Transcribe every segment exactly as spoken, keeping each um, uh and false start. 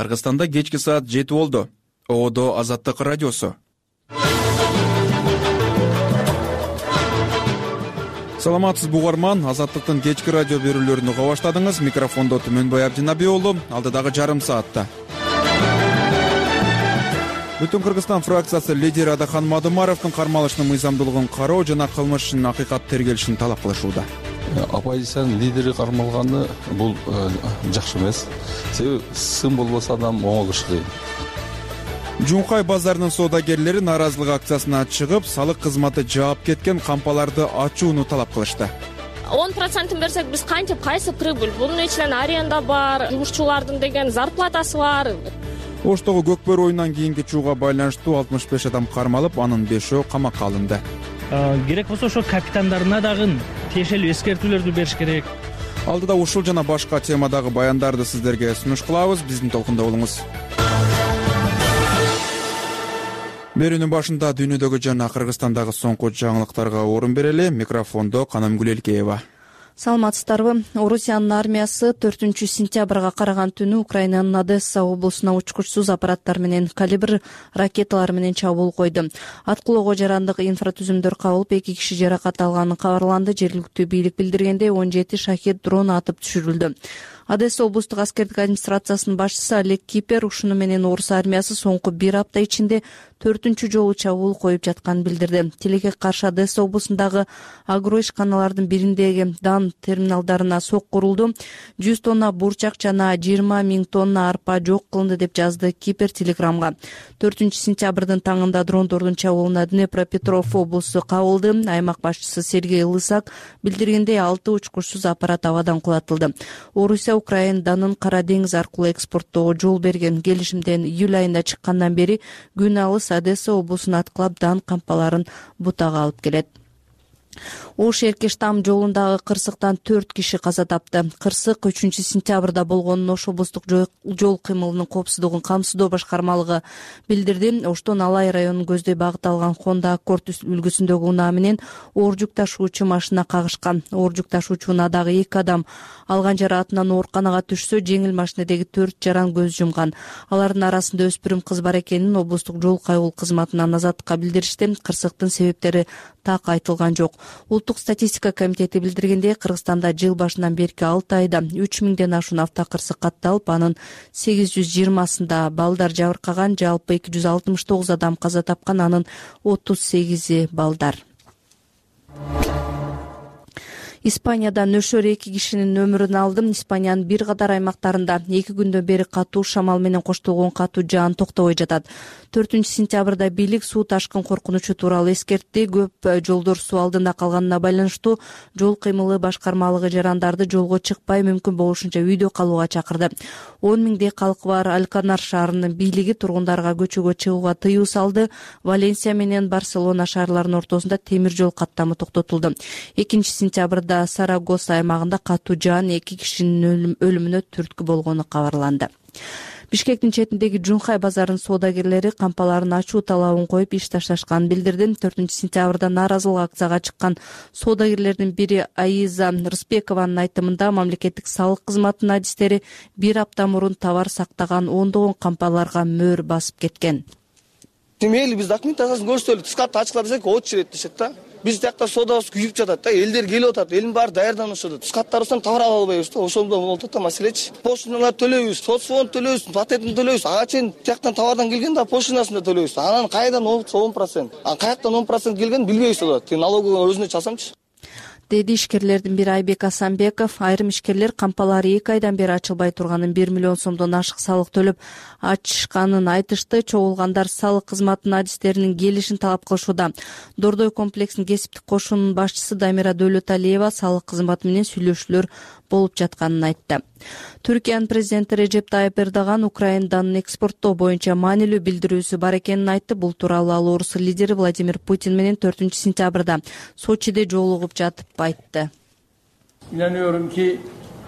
Кыргызстанда кечки саат жети болду. Оодо Азаттык радиосу. Саламатсызбы угарман, Азаттыктын кечки радио берүүлөрүн уга баштадыңыз. Микрофондо Түмөнбай Абдинаби уулу, алдыдагы жарым саатта. Бүтүн Кыргызстан фракциясы лидери Адахан Мадумаровдун кармалышынын мыйзамдуулугун кароо жана кылмыштын акыйкат тергелишин талап кылышууда. Оппозициянын лидери кармалганы бул жакшы эмес. Себеби сын болбосо адам оңолуш кыйын. Жункай базарынын соодагерлери нааразылык акциясына чыгып, салык кызматы жаап кеткен кампаларды ачууну талап кылышты. он процентин берсек биз кантип, кайсы прибыль? Бунун ичинен аренда бар, жумушчулардын деген зарплатасы бар. Оштогу көкбөр оюнунан кийинки чууга байланыштуу алтымыш беш адам кармалып, анын бешөө камакка алынды. Керек болсо ошо капитандарына дагы тиешелүү эскертүүлөрдү бериш керек. Алдыда ушул жана башка темадагы баяндарды сиздерге сунуш кылабыз. Биздин толкунда болуңуз. Берүүнүн башында дүйнөдөгү жана Кыргызстандагы соңку жаңылыктарга орун берели. Микрофондо Канамгүл Элкеева. Саламатсыздарбы. Орусиянын армиясы төртүнчү сентябрга караган түнү Украинанын Одесса облусуна учкучсуз аппараттар менен калибр ракеталар менен чабуул койду. Аткылоого жарандык инфратүзүмдөр кабылып, эки киши жаракат алганы кабарланды. Жергиликтүү бийлик билдиргендей, он жети шахет дрон атып түшүрүлдү. Одесса облустук аскердик администрациясынын башчысы Олег Кипер ушуну менен орус армиясы соңку бир апта ичинде төртүнчү жолу чабуул коюп жатканын билдирди. Тилекке каршы Одесса облусундагы агро ишканалардын бириндеги дан терминалдарына сокку урулду. жүз тонна бурчак жана жыйырма миң тонна арпа жок кылынды деп жазды Кипер телеграмга. төртүнчү сентябрдын таңында дрондордун чабуулуна Днепропетров облусу кабылды. Аймак башчысы Сергей Лысак билдиргендей, алты учкучсуз аппарат абадан кулатылды. Орусия Украина данын Кара деңиз аркылуу экспорттоого жол берген келишимден июль айында чыккандан бери күн алыс Одесса облусун аткылап дан кампаларын бутага алып келет. Ош Эркештам жолундагы кырсыктан төрт киши каза тапты. Кырсык үчүнчү сентябрда болгонун Ош облустук жол кыймылынын коопсуздугун камсыздоо башкармалыгы билдирди. Оштон Алай районун көздөй багыт алган Honda Accord үлгүсүндөгү унаа менен оор жүк ташуучу машина кагышкан. Оор жүк ташуучунун дагы эки адам алган жараатынан ооруканага түшсө, жеңил машинедеги төрт жаран көз жумган. Алардын арасында өспүрүм кыз бар экенин облустук жол кайгыл кызматынан Азаттыкка билдиришти. Кырсыктын себептери так айтылган жок. Улуттук статистика комитети билдиргендей, Кыргызстанда жыл башынан берки алты айда үч миңден ашуун автокырсык катталып, анын сегиз жүз жыйырмасында балдар жабыркаган, жалпы эки жүз алтымыш тогуз адам каза тапкан, анын отуз сегизи балдар. Испанияда нөшөр эки кишинин өмүрүн алды. Испаниянын бир катар аймактарында эки күндөн бери катуу шамал менен коштолгон катуу жаан токтобой жатат. төртүнчү сентябрда бийлик суу ташкын коркунучу тууралуу эскертти. Көп жолдор суу алдында калганына байланыштуу жол кыймылы башкармалыгы жарандарды жолго чыкпай, мүмкүн болушунча үйдө калууга чакырды. он миңдей калкы бар Алканар шаарынын бийлиги тургундарга көчөгө чыгууга тыюу салды. Валенсия менен Барселона шаарларынын ортосунда темир жол каттамы токтотулду. экинчи сентябрда Сарагоса аймагында катуу жаан эки кишинин өлүмүнө түрткү болгону кабарланды. Бишкектин четиндеги Жункай базарынын соодагерлери кампаларын ачуу талабын коюп иш ташташканын билдирди. төртүнчү сентябрда нааразылык акцияга чыккан соодагерлердин бири Аиза Рыспекованын айтымында, мамлекеттик салык кызматынын адистери бир апта мурун товар сактаган ондогон кампаларга мөөр басып кеткен. Мейли биз документ асасын көрсөтөлү, тышкартты ачыклап десек очередь ирет дешет да. Биз тиякта соодабыз күйүп жатат да, элдер келип атат, элдин баары даярданып атат. Тышкарттарыбыздан товар ала албайбыз да, ошондо болот да маселечи. Поштаналар төлөйбүз, соцфонд төлөйбүз, патентин төлөйбүз. Ага чейин тияктан товардан келген да поштанасын да төлөйбүз. Анан кайдан он процент? А каяктан он процент келген билбейбиз да. Тиги налоговый өзүнө чалсамчы. Деди ишкерлердин бири Айбек Асанбеков. Айрым ишкерлер кампалары эки айдан бери ачылбай турганын, бир миллион сомдон ашык салык төлөп ачышканын айтышты. Чогулгандар салык кызматынын адистеринин келишин талап кылышууда. Дордой комплексинин кесиптик кошунунун башчысы Дамира Дөөлөталиева салык кызматы менен сүйлөшүүлөр болуп жатканын айтты. Түркиянын президенти Режеп Тайып Эрдоган Украинадан экспорттоо боюнча маанилүү билдирүүсү бар экенин айтты. Бул тууралуу ал орус лидери Владимир Путин менен төртүнчү сентябрда Сочиде жолугуп жатып айтты. İnanıyorum ki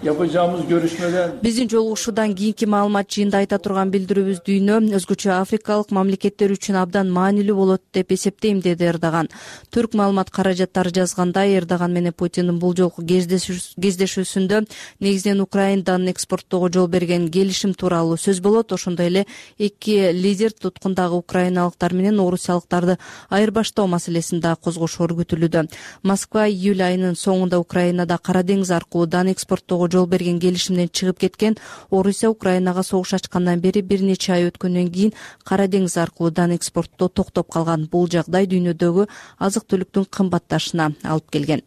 Yapacağımız görüşmeden биздин жолугушуудан кийинки маалымат жыйында айта турган билдирүүбүз дүйнө өзгөчө африкалык мамлекеттер үчүн абдан маанилүү болот деп эсептейм, деди Эрдоган. Түрк маалымат каражаттары жазгандай, Эрдоган менен Путиндин бул жолку кездешүүсүндө негизинен Украинадан экспорттоого жол берген келишим тууралуу сөз болот. Ошондой эле эки лидер туткундагы украиналыктар менен орусиялыктарды айырбаштоо маселесин да козгошору күтүлүүдө. Москва июль айынын соңунда Украинада Кара деңиз аркылуу экспорттоого жол берген келишимден чыгып кеткен. Орусия Украинага согуш ачкандан бери бир нече ай өткөндөн кийин Кара деңиз аркылуу дан экспорттоо токтоп калган. Бул жагдай дүйнөдөгү азык түлүктүн кымбатташына алып келген.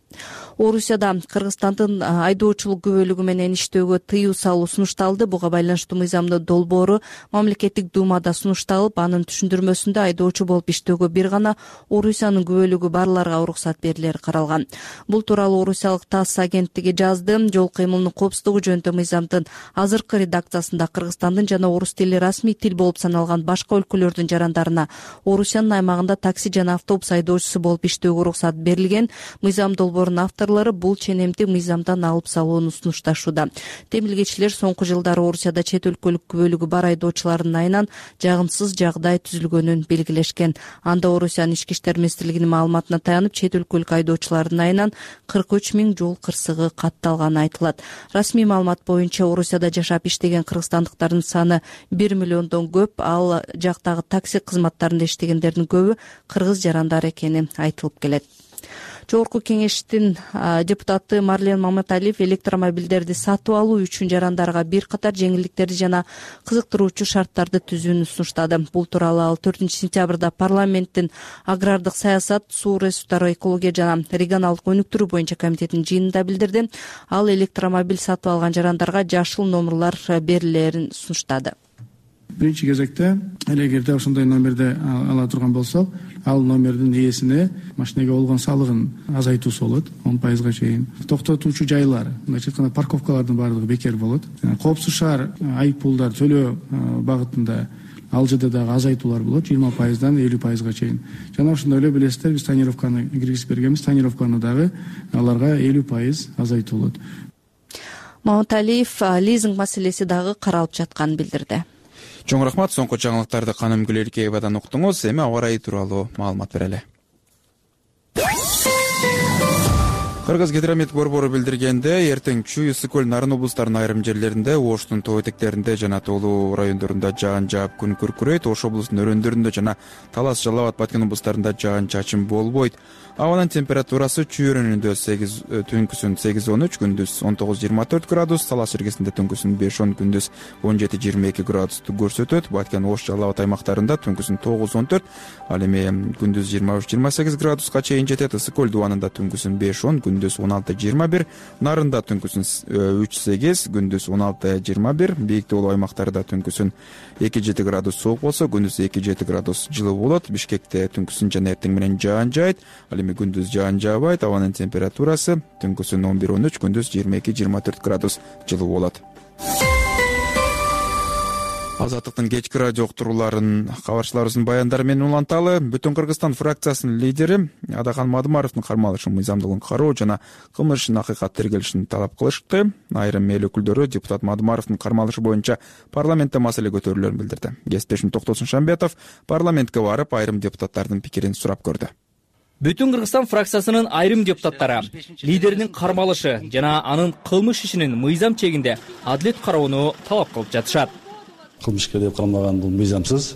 Орусияда Кыргызстандын айдоочулук күбөлүгү менен иштөөгө тыюу салуу сунушталды. Буга байланыштуу мыйзамдын долбоору мамлекеттик думада сунушталып, анын түшүндүрмөсүндө айдоочу болуп иштөөгө бир гана Орусиянын күбөлүгү барларга уруксат берилери каралган. Бул тууралуу орусиялык ТАСС агенттиги жазды. Жол кыймылынын коопсуздугу жөнүндө мыйзамдын азыркы редакциясында Кыргызстандын жана орус тили расмий тил болуп саналган башка өлкөлөрдүн жарандарына Орусиянын аймагында такси жана автобус айдоочусу болуп иштөөгө уруксат берилген. Мыйзам долбоорунун авторлору бул ченемди мыйзамдан алып салууну сунушташууда. Темилгечилер соңку жылдары Орусияда чет өлкөлүк күбөлүгү бар айдоочулардын айынан жагымсыз жагдай түзүлгөнүн белгилешкен. Анда Орусиянын ички иштер министрлигинин маалыматына таянып, чет өлкөлүк айдоочулардын айынан кырк үч миң жол кырсыгы катталганы айтылат. Расмий маалымат боюнча Орусияда жашап иштеген кыргызстандыктардын саны бир миллиондон көп, ал жактагы такси кызматтарында иштегендердин көбү кыргыз жарандар экени айтылып келет. Жогорку кеңештин депутаты Марлен Маматалиев электромобилдерди сатып алуу үчүн жарандарга бир катар жеңилдиктерди жана кызыктыруучу шарттарды түзүүнү сунуштады. Бул тууралуу ал төртүнчү сентябрда парламенттин агрардык саясат, суу ресурстары, экология жана регионалдык өнүктүрүү боюнча комитетинин жыйынында билдирди. Ал электромобиль сатып алган жарандарга жашыл номерлар берилерин сунуштады. Биринчи кезекте эгерде ошондой номерди ала турган болсо, ал номердин ээсине машинеге болгон салыгын азайтуусу болот, он пайызга чейин. Токтотуучу жайлар, мындайча айтканда парковкалардын баардыгы бекер болот. Коопсуз шаар айыппулдар төлөө багытында ал жерде дагы азайтуулар болот, жыйырма пайыздан элүү пайызга чейин. Жана ошондой эле билесиздер, биз тонировканы киргизип бергенбиз, тонировканы дагы аларга элүү пайыз азайтуу болот. Маматалиев лизинг маселеси дагы каралып жатканын билдирди. Чоң рахмат. Соңку жаңылыктарды Каным Гүлеркеевадан уктуңуз. Эми аба ырайы тууралуу маалымат берели. Кыргыз гидромет борбору билдиргенде, эртең Чүй, Ысык көл, Нарын облустарынын айрым жерлеринде, Оштун тоо этектеринде жана тоолуу райондорунда жаан жаап күн күркүрөйт. Ош облусунун өрөөндөрүндө жана Талас, Жалал абад, Баткен облустарында жаан чачым болбойт. Абанын температурасы Чүй өрөөнүндө сегиз, түнкүсүн сегиз он үч, күндүз он тогуз жыйырма төрт градус, Талас иргесинде түнкүсүн беш он, күндүз он жети жыйырма эки градусту көрсөтөт. Баткен, Ош, Жалал абад аймактарында түнкүсүн тогуз он төрт, ал эми күндүз жыйырма үч жыйырма сегиз градуска чейин жетет. Ысык көл дубанында түнкүсүн беш он, күндүз он алты жыйырма бир, Нарында түнкүсүн үч сегиз, күндүз он алты жыйырма бир, бийик тоолуу аймактарда түнкүсүн эки жети градус суук болсо, күндүз эки жети градус жылуу болот. Бишкекте түнкүсүн жана эртең менен жаан жаайт, ал эми күндүз жаан жаабайт. Абанын температурасы түнкүсүн он бир он үч, күндүз жыйырма эки жыйырма төрт градус жылуу болот. Азаттыктын кечки радио уктурууларын кабарчыларыбыздын баяндары менен уланталы. Бүтүн Кыргызстан фракциясынын лидери Адахан Мадымаровдун кармалышын, мыйзамдуулугун кароо жана кылмыш ишин акыйкат тергелишин талап кылышты. Айрым эл өкүлдөрү депутат Мадымаровдун кармалышы боюнча парламентте маселе көтөрүлөрүн билдирди. Кесиптешим Токтосун Шамбетов парламентке барып, айрым депутаттардын пикирин сурап көрдү. Бүтүн Кыргызстан фракциясынын айрым депутаттары лидеринин кармалышы жана анын кылмыш ишинин мыйзам чегинде адилет кароону талап кылып жатышат. Кылмышкер деп кармалган бул мыйзамсыз.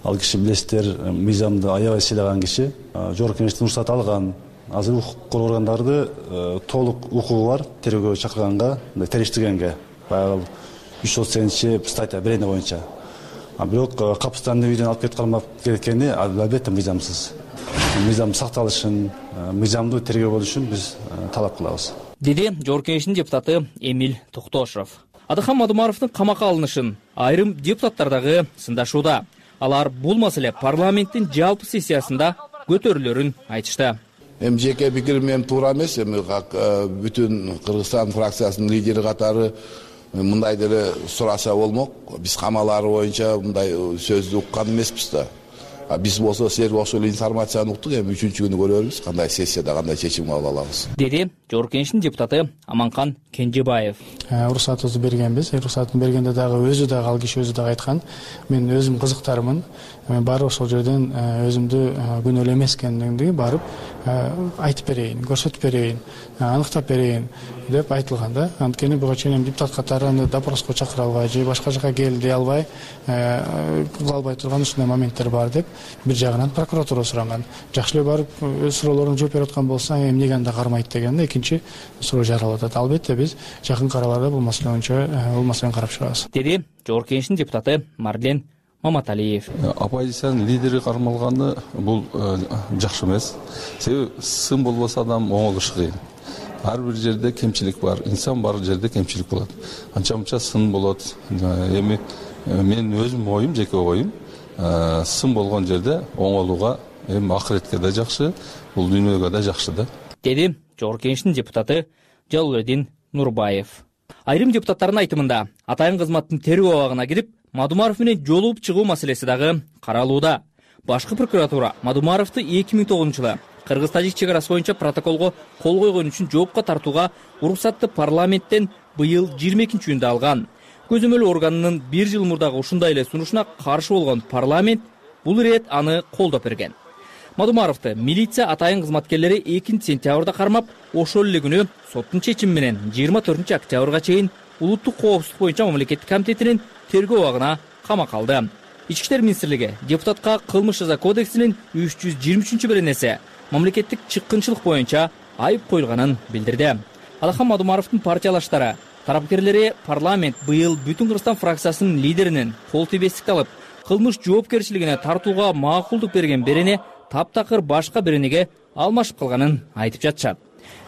Ал киши билесиздер, мыйзамды аябай сыйлаган киши, жогорку кеңештен уруксат алган. Азыр укук коргоо органдарды толук укугу бар тергөөгө чакырганга, териштиргенге. Баягы үч жүз отуз сегизинчи статья берене боюнча. А бирок капыстан үйдөн алып кетип кармап кеткени албетте мыйзамсыз. Мыйзам сакталышын, мыйзамдуу тергөө болушун биз талап кылабыз. Деди жогорку кеңештин депутаты Эмиль Токтошов. Адахан Мадымаровдун камакка алынышын айрым депутаттар дагы сындашууда. Алар бул маселе парламенттин жалпы сессиясында көтөрүлөрүн айтышты. Эми жеке пикирим менен туура эмес, эми бүтүн Кыргызстан фракциясынын лидери катары мындай деле сураса болмок. Биз камалары боюнча мындай сөздү уккан эмеспиз да. Биз болсо силер ошол информацияны уктук, эми үчүнчү күнү көрөрбүз кандай сессияда кандай чечим кабыл алабыз, деди Жогорку Кеңештин депутаты Аманкан Кенжебаев. Уруксатыбызды бергенбиз. Уруксатын бергенде дагы өзү дагы ал киши өзү дагы айткан, мен өзүм кызыктармын, мен барып ошол жерден өзүмдү күнөөлүү эмес экендигимди барып айтып берейин, көрсөтүп берейин, аныктап берейин деп айтылган да. Анткени буга чейин депутат катары аны допроско чакыра албай же башка жака кел дей албай, кыла албай турган ушундай моменттер бар деп бир жагынан прокуратура суранган. Жакшы эле барып өз суроолоруна жооп берип аткан болсо, эмнеге анда кармайт деген да экинчи суроо жаралып атат. Албетте биз жакын араларда бул маселе боюнча бул маселени карап чыгабыз, деди Жогорку Кеңештин депутаты Марлен Маматалиев. Оппозициянын лидери кармалганы бул жакшы эмес. Себеби сын болбосо адам оңолушу кыйын. Ар бир жерде кемчилик бар, инсан бар жерде кемчилик болот. Анча мынча сын болот. Эми менин өзүм оюм, жеке оюм, сын болгон жерде оңолууга эми акыретке да жакшы, бул дүйнөгө да жакшы да, деди Жогорку Кеңештин депутаты Жалалбек Нурбаев. Айрым депутаттардын айтымында атайын кызматтын тергөө абагына кирип Мадумаров менен жолугуп чыгуу маселеси дагы каралууда. Башкы прокуратура Мадумаровду эки миң тогузунчу жылы Кыргыз-Тажик чек арасы боюнча протоколго кол койгон үчүн жоопко тартууга уруксатты парламенттен быйыл жыйырма экинчи июнда алган. Көзөмөл органынын бир жыл мурдагы ушундай эле сунушуна каршы болгон парламент бул ирет аны колдоп берген. Мадумаровду милиция атайын кызматкерлери экинчи сентябрда кармап, ошол эле күнү соттун чечими менен жыйырма төртүнчү октябрга чейин улуттук коопсуздук боюнча мамлекеттик комитетинин тергөө абагына камакка алды. Ички иштер министрлиги депутатка кылмыш жаза кодексинин үч жүз жыйырма үчүнчү беренеси мамлекеттик чыккынчылык боюнча айып коюлганын билдирди. Алахан Мадумаровдун партиялаштары тарапкерлери парламент быйыл Бүтүн Кыргызстан фракциясынын лидеринин кол тийбестикти алып, кылмыш жоопкерчилигине тартууга макулдук берген берене таптакыр башка беренеге алмашып калганын айтып жатышат.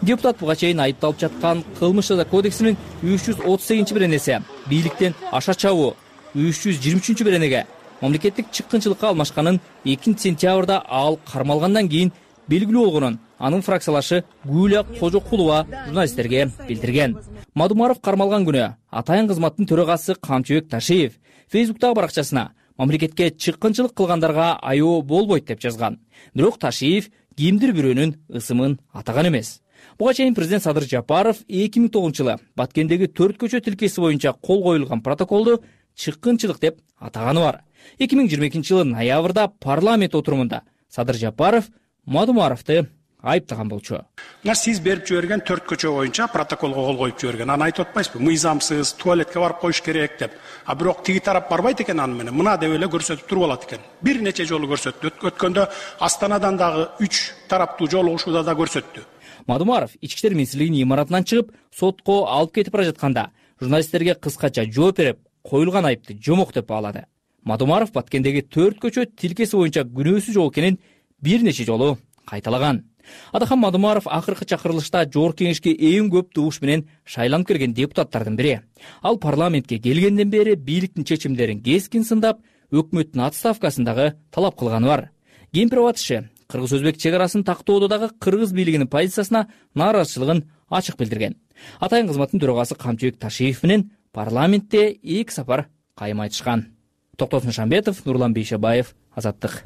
Депутат буга чейин айыпталып жаткан кылмыш жаза кодексинин үч жүз отуз сегизинчи беренеси бийликтен аша чабуу, үч жүз жыйырма үчүнчү беренеге мамлекеттик чыккынчылыкка алмашканын экинчи сентябрда ал кармалгандан кийин белгилүү болгонун анын фракциялашы Гүлия Кожокулова журналисттерге билдирген. Мадумаров кармалган күнү атайын кызматтын төрагасы Камчыбек Ташиев Фейсбуктагы баракчасына мамлекетке чыккынчылык кылгандарга аяоо болбойт деп жазган. Бирок Ташиев кимдир бирөөнүн ысымын атаган эмес. Буга чейин президент Садыр Жапаров эки миң тогузунчу жылы Баткендеги төрт көчө тилкеси боюнча кол коюлган протоколду чыккынчылык деп атаганы бар. эки миң жыйырма экинчи жылы ноябрда парламент отурумунда Садыр Жапаров Мадумаровду айыптаган болчу. Мына сиз берип жиберген төрт көчө боюнча протоколго кол коюп жиберген. Аны айтып атпайсызбы? Мыйзамсыз, туалетке барып коюш керек деп. А бирок тиги тарап барбайт экен аны менен. Мына деп эле көрсөтүп туруп алат экен. Бир нече жолу көрсөттү. Өткөндө Астанадан дагы үч тараптуу жолугушууда да көрсөттү. Мадумаров ички иштер министрлигинин имаратынан чыгып, сотко алып кетип бара жатканда журналисттерге кыскача жооп берип, коюлган айыпты жомок деп баалады. Мадумаров Баткендеги төрт көчө тилкеси боюнча күнөөсүз жол экенин бир нече жолу кайталаган. Адахан Мадумаров акыркы чакырылышта Жогорку Кеңешке эң көп добуш менен шайланып келген депутаттардын бири. Ал парламентке келгенден бери бийликтин чечимдерин кескин сындап, өкмөттүн отставкасын дагы талап кылганы бар. Кемпирова атышы кыргыз-өзбек чек арасын тактоодо дагы кыргыз бийлигинин позициясына нааразычылыгын ачык билдирген. Атайын кызматтын төрагасы Камчыбек Ташиев менен парламентте эки сапар кайым айтышкан. Токтосун Шамбетов, Нурлан Бейшебаев, Азаттык.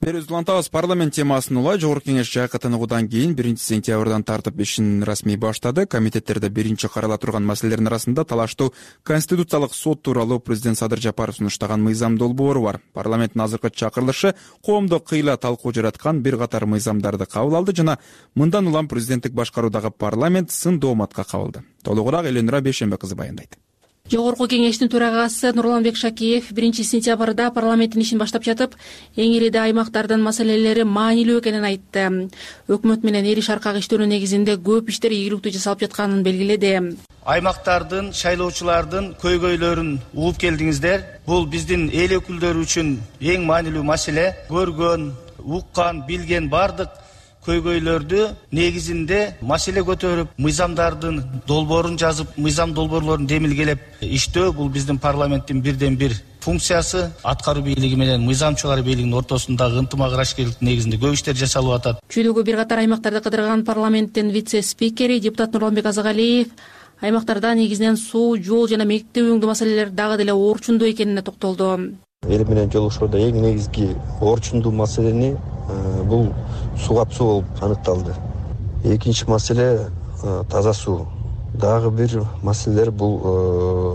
Берүүбүз улантабыз. Парламент темасын улай Жогорку Кеңеш жайкатынуудан кийин биринчи сентябрдан тартып ишин расмий баштады. Комитеттерде биринчи карала турган маселелердин арасында талаштуу Конституциялык сот тууралуу президент Садыр Жапаров сунуштаган мыйзам долбоору бар. Парламенттин азыркы чакырылышы коомдо кыйла талкуу жараткан бир катар мыйзамдарды кабыл алды жана мындан улам президенттик башкаруудагы парламент сын дооматка кабылды. Толугураак Эленура Бейшембе кызы баяндайт. Жогорку Кеңештин төрагасы Нурланбек Шакиев биринчи сентябрда парламенттин ишин баштап жатып, эң ириде аймактардын маселелери маанилүү экенин айтты. Өкмөт менен эл шаркак иштөөнүн негизинде көп иштер ийгиликтүү жасалып жатканын белгиледи. Аймактардын, шайлоочулардын көйгөйлөрүн угуп келдиңиздер. Бул биздин эл өкүлдөрү үчүн эң маанилүү маселе. Көргөн, уккан, билген бардык көйгөйлөрдү негизинде маселе көтөрүп, мыйзамдардын долбоорун жазып, мыйзам долбоорлорун демилгелеп иштөө бул биздин парламенттин бирден бир функциясы. Аткаруу бийлиги менен мыйзам чыгаруу бийлигинин ортосундагы ынтымак-ырашкерликтин негизинде көп иштер жасалып атат. Чүйдөгү бир катар аймактарды кыдырган парламенттин вице-спикери депутат Нурланбек Азагалиев аймактарда негизинен суу, жол жана мектеп өңдүү маселелер дагы деле орчундуу экенине токтолду. эл менен жолугушууда эң негизги орчундуу маселени бул суугап суу болуп аныкталды. Экинчи маселе таза суу. Дагы бир маселелер бул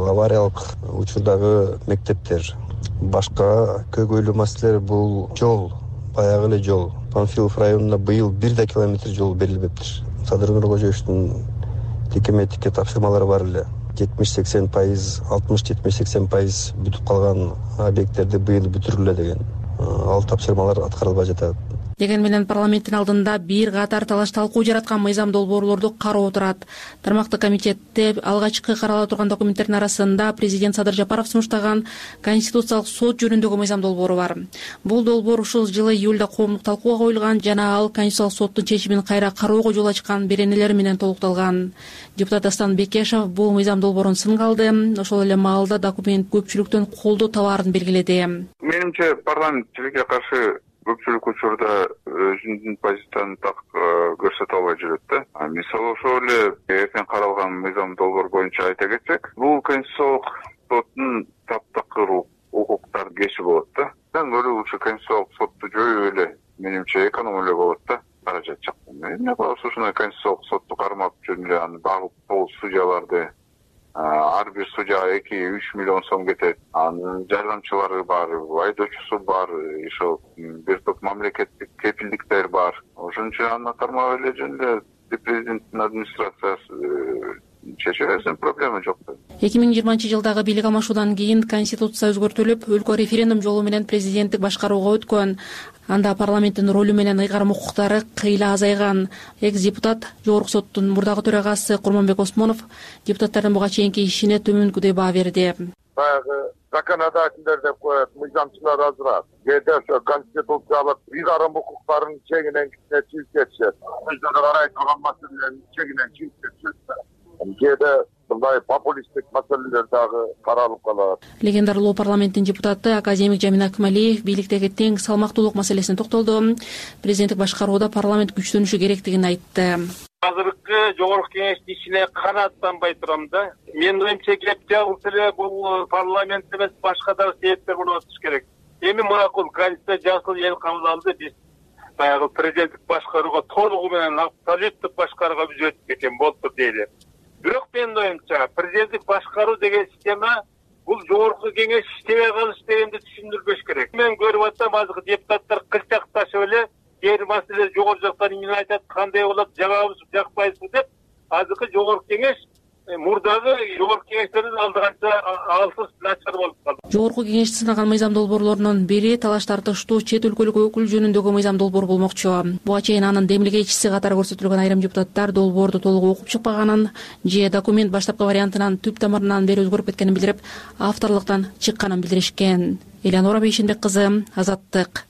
авариялык учурдагы мектептер. Башка көйгөйлүү маселелер бул жол, баягы эле жол. Панфилов районуна быйыл бир да километр жол берилбептир. Садыр Нуркожоевичтин тикеметикке тапшырмалары бар эле. жетимиш сексен пайыз, алтымыш жетимиш сексен пайыз бүтүп калган объекттерди быйыл бүтүрүлө деген ал тапшырмалар аткарылбай жатат. Деген менен парламенттин алдында бир катар талаш талкуу жараткан мыйзам долбоорлорду кароо турат. Тармактык комитетте алгачкы карала турган документтердин арасында президент Садыр Жапаров сунуштаган Конституциялык сот жөнүндөгү мыйзам долбоору бар. Бул долбоор ушул жылы июлда коомдук талкууга коюлган жана ал Конституциялык соттун чечимин кайра кароого жол ачкан беренелер менен толукталган. Депутат Дастан Бекешев бул мыйзам долбоорун сынга алды. Ошол эле маалда документ көпчүлүктөн колдоо табаарын белгиледи. Менимче парламент тилекке каршы көпчүлүк учурда өзүнүн позициясын так көрсөтө албай жүрөт да. Мисалы ошол эле эртең каралган мыйзам долбоор боюнча айта кетсек, бул Конституциялык соттун таптакыр укуктарды кеши болот да. Мен өлүгүчө Конституциялык сотду жоюу эле менимче эконом эле болот да. Каражат жактан. Эмне кылабыз ушундай Конституциялык сотту кармап жүрүп эле аны багып пол судьяларды ар бир судья эки үч миллион сом кетет. Анын жардамчылары бар, айдоочусу бар, ошол бир топ мамлекеттик кепилдиктер бар. Ошон үчүн аны кармап эле жөн эле президенттин администрациясы чече берсин, проблема жок. эки миң жыйырманчы жылдагы бийлик алмашуудан кийин Конституция өзгөртүлүп, өлкө референдум жолу менен президенттик башкарууга өткөн. Анда парламенттин ролу менен ыйгарым укуктары кыйла азайган. Экс-депутат Жогорку соттун мурдагы төрагасы Курманбек Осмонов депутаттардын буга чейинки ишине төмөнкүдөй баа берди. Баягы законодательдер деп коет, мыйзамчылар азыраак. Кээде ошо конституциялык ыйгарым укуктарын чегинен чыгып кетишет. Өзүнө карай турган маселелердин чегинен чыгып кетишет. Кээде мындай популисттик маселелер дагы каралып калат. Легендарлуу парламенттин депутаты академик Жамин Акмалиев бийликтеги тең салмактуулук маселесине токтолду. Президенттик башкарууда парламент күчтөнүшү керектигин айтты. Азыркы жогорку кеңештин ишине канааттанбай турам да. Менин оюмча кеп жабылса эле бул парламент эмес, башка дагы себептер болуп атыш керек. Эми макул Конституция жасыл эл кабыл алды, биз баягы президенттик башкарууга толугу менен абсолюттук башкарууга биз өтүп кеткен болуптур дейли. Бирок менин оюмча президенттик башкаруу деген система бул жогорку кеңеш иштебей калыш дегенди түшүндүрбөш керек. Мен көрүп атсам азыркы депутаттар кылчакташып эле кээ бир маселе жогору жактан эмне айтат, кандай болот, жагабыз жакпайбызбы деп азыркы жогорку кеңеш мурдагы жогорку кеңештердин алдыганча алсыз начар болуп калды. Жогорку кеңешти сынаган мыйзам долбоорлорунун бири талаш тартыштуу чет өлкөлүк өкүл жөнүндөгү мыйзам долбоор болмокчу. Буга чейин анын демилгечиси катары көрсөтүлгөн айрым депутаттар долбоорду толук окуп чыкпаганын же документ баштапкы вариантынан түп тамырынан бери өзгөрүп кеткенин билдирип, авторлуктан чыкканын билдиришкен. Элеонора Бейшенбек кызы, Азаттык.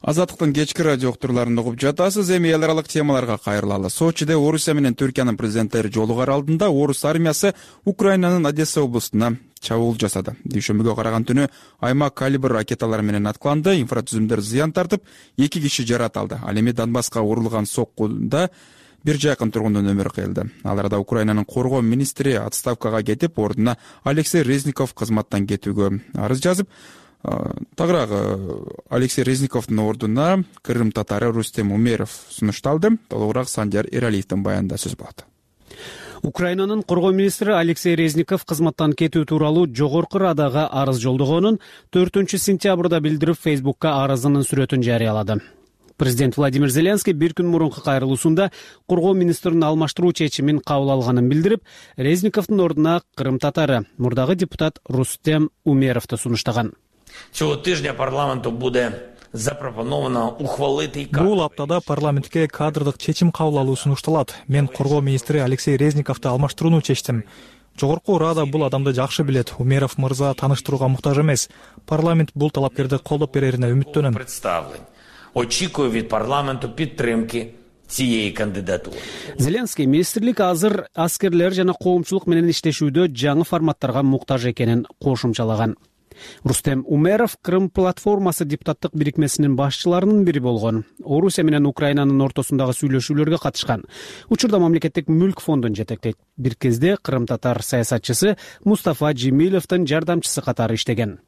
Азаттыктын кечки радио уктурларын угуп жатасыз. Эми эл аралык темаларга кайрылалы. Сочиде Орусия менен Түркиянын президенттери жолугар алдында орус армиясы Украинанын Одесса облустуна чабуул жасады. Дүйшөмбүгө караган түнү аймак калибр ракеталары менен аткыланды, инфратүзүмдөр зыян тартып, эки киши жараталды. Ал эми Донбасска урулган соккуда бир жакын тургундун өмүрү кыйылды. Ал арада Украинанын коргоо министри отставкага кетип, ордуна Алексей Резников кызматтан кетүүгө арыз жазып, тагыраак Алексей Резниковдун ордуна Крым татары Рустем Умеров сунушталды. Толугураак Сандияр Эралиевдин баянында сөз болот. Украинанын коргоо министри Алексей Резников кызматтан кетүү тууралуу Жогорку Радага арыз жолдогонун төртүнчү сентябрда билдирип, Фейсбукка арызынын сүрөтүн жарыялады. Президент Владимир Зеленский бир күн мурунку кайрылуусунда коргоо министрин алмаштыруу чечимин кабыл алганын билдирип, Резниковдун ордуна Крым татары мурдагы депутат Рустем Умеровду сунуштаган. Цього тижня парламенту буде запропоновано ухвалити. Бул аптада парламентке кадрдык чечим кабыл алуу сунушталат. Мен коргоо министри Алексей Резниковду алмаштырууну чечтим. Жогорку Рада бул адамды жакшы билет. Умеров мырза тааныштырууга муктаж эмес. Парламент бул талапкерди колдоп берерине үмүттөнөм. Представлен. Очікую від парламенту підтримки цієї кандидатури. Зеленский министрлик азыр аскерлер жана коомчулук менен иштешүүдө жаңы форматтарга муктаж экенин кошумчалаган. Рустем Умеров Крым платформасы депутаттык бирикмесинин башчыларынын бири болгон. Орусия менен Украинанын ортосундагы сүйлөшүүлөргө катышкан. Учурда мамлекеттик мүлк фондун жетектейт. Бир кезде Крым татар саясатчысы Мустафа Джемиловдун жардамчысы катары иштеген.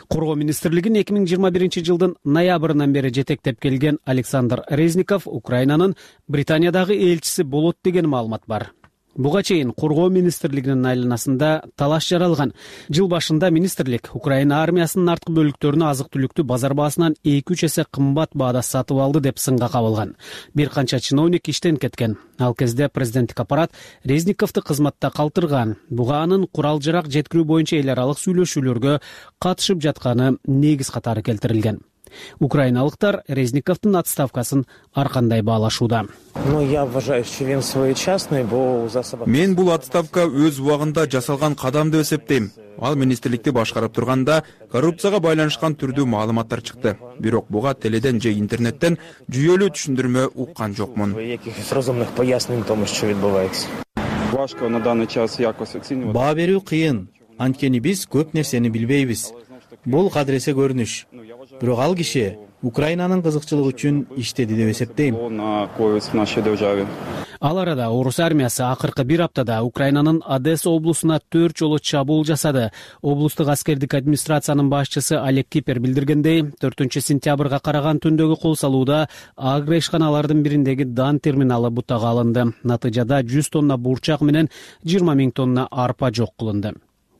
Коргоо министрлигин эки миң жыйырма биринчи жылдын ноябрынан бери жетектеп келген Александр Резников Украинанын Британиядагы элчиси болот деген маалымат бар. Буга чейин Коргоо министрлигинин айланасында талаш жаралган. Жыл башында министрлик Украина армиясынын арткы бөлүктөрүнө азык-түлүктү базар баасынан эки үч эсе кымбат баада сатып алды деп сынга кабылган. Бир канча чиновник иштен кеткен. Ал кезде президенттик аппарат Резниковду кызматта калтырган. Буга анын курал-жарак жеткирүү боюнча эл аралык сүйлөшүүлөргө катышып жатканы негиз катары келтирилген. Украиналыктар Резниковдун отставкасын ар кандай баалашууда. Мен бул отставка өз убагында жасалган кадам деп эсептейм. Ал министрликти башкарып турганда коррупцияга байланышкан түрдүү маалыматтар чыкты. Бирок буга теледен же интернеттен жүйөлүү түшүндүрмө уккан жокмун. Баа берүү кыйын. Анткени биз көп нерсени билбейбиз. Бул кадыресе көрүнүш. Бирок ал киши Украинанын кызыкчылыгы үчүн иштеди деп эсептейм. Ал арада орус армиясы акыркы бир аптада Украинанын Одесса облусуна төрт жолу чабуул жасады. Облустук аскердик администрациянын башчысы Олег Кипер билдиргендей, төртүнчү сентябрга караган түндөгү кол салууда агро ишканалардын бириндеги дан терминалы бутага алынды. Натыйжада жүз тонна бурчак менен жыйырма миң тонна арпа жок кылынды.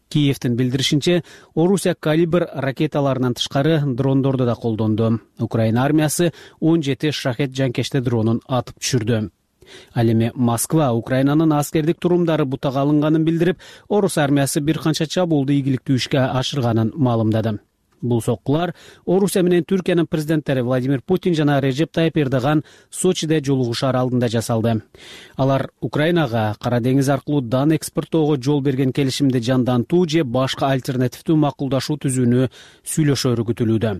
Киевдин билдиришинче, Орусия калибр ракеталарынан тышкары дрондорду да колдонду. Украина армиясы он жети шахет жанкечти дронун атып түшүрдү. Ал эми Москва Украинанын аскердик турумдары бутага алынганын билдирип, орус армиясы бир канча чабуулду ийгиликтүү ишке ашырганын маалымдады. Бул соккулар Орусия менен Түркиянын президенттери Владимир Путин жана Режеп Тайып Эрдоган Сочиде жолугушаар алдында жасалды. Алар Украинага Кара деңиз аркылуу дан экспорттоого жол берген келишимди жандантуу же башка альтернативдүү макулдашуу түзүүнү сүйлөшөөрү күтүлүүдө.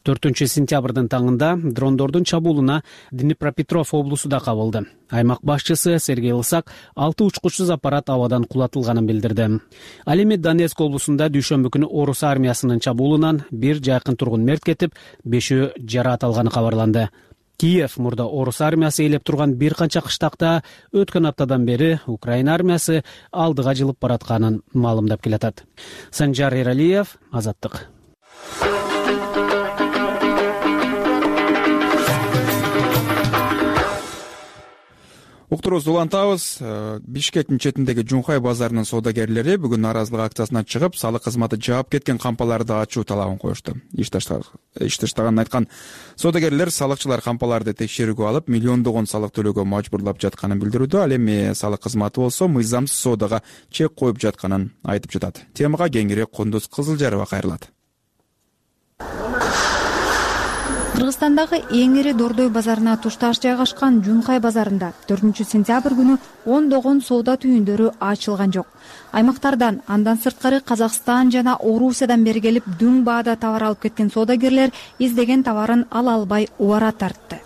төртүнчү сентябрдын таңында дрондордун чабуулуна Днепропетров облусу да кабылды. Аймак башчысы Сергей Лысак алты учкучсуз аппарат абадан кулатылганын билдирди. Ал эми Донецк облусунда дүйшөмбү күнү орус армиясынын чабуулунан бир жакын тургун мерт кетип, бешөө жараат алганы кабарланды. Киев мурда орус армиясы ээлеп турган бир канча кыштакта өткөн аптадан бери Украина армиясы алдыга жылып баратканын маалымдап келатат. Санжар Эралиев, Азаттык. Уктуруубузду улантабыз. Бишкектин четиндеги Жунхай базарынын соодагерлери бүгүн нааразылык акциясына чыгып, салык кызматы жаап кеткен кампаларды ачуу талабын коюшту. Иш таштаганын айткан соодагерлер салыкчылар кампаларды текшерүүгө алып, миллиондогон салык төлөөгө мажбурлап жатканын билдирүүдө. Ал эми салык кызматы болсо мыйзамсыз соодага чек коюп жатканын айтып жатат. Темага кеңирээк Кундуз Кызылжарова кайрылат. Кыргызстандагы эң ири Дордой базарына тушташ жайгашкан Жунхай базарында төртүнчү сентябрь күнү ондогон соода түйүндөрү ачылган жок. Аймактардан, андан сырткары Казакстан жана Орусиядан бери келип дүң баада товар алып кеткен соодагерлер издеген товарын ала албай убара тартты.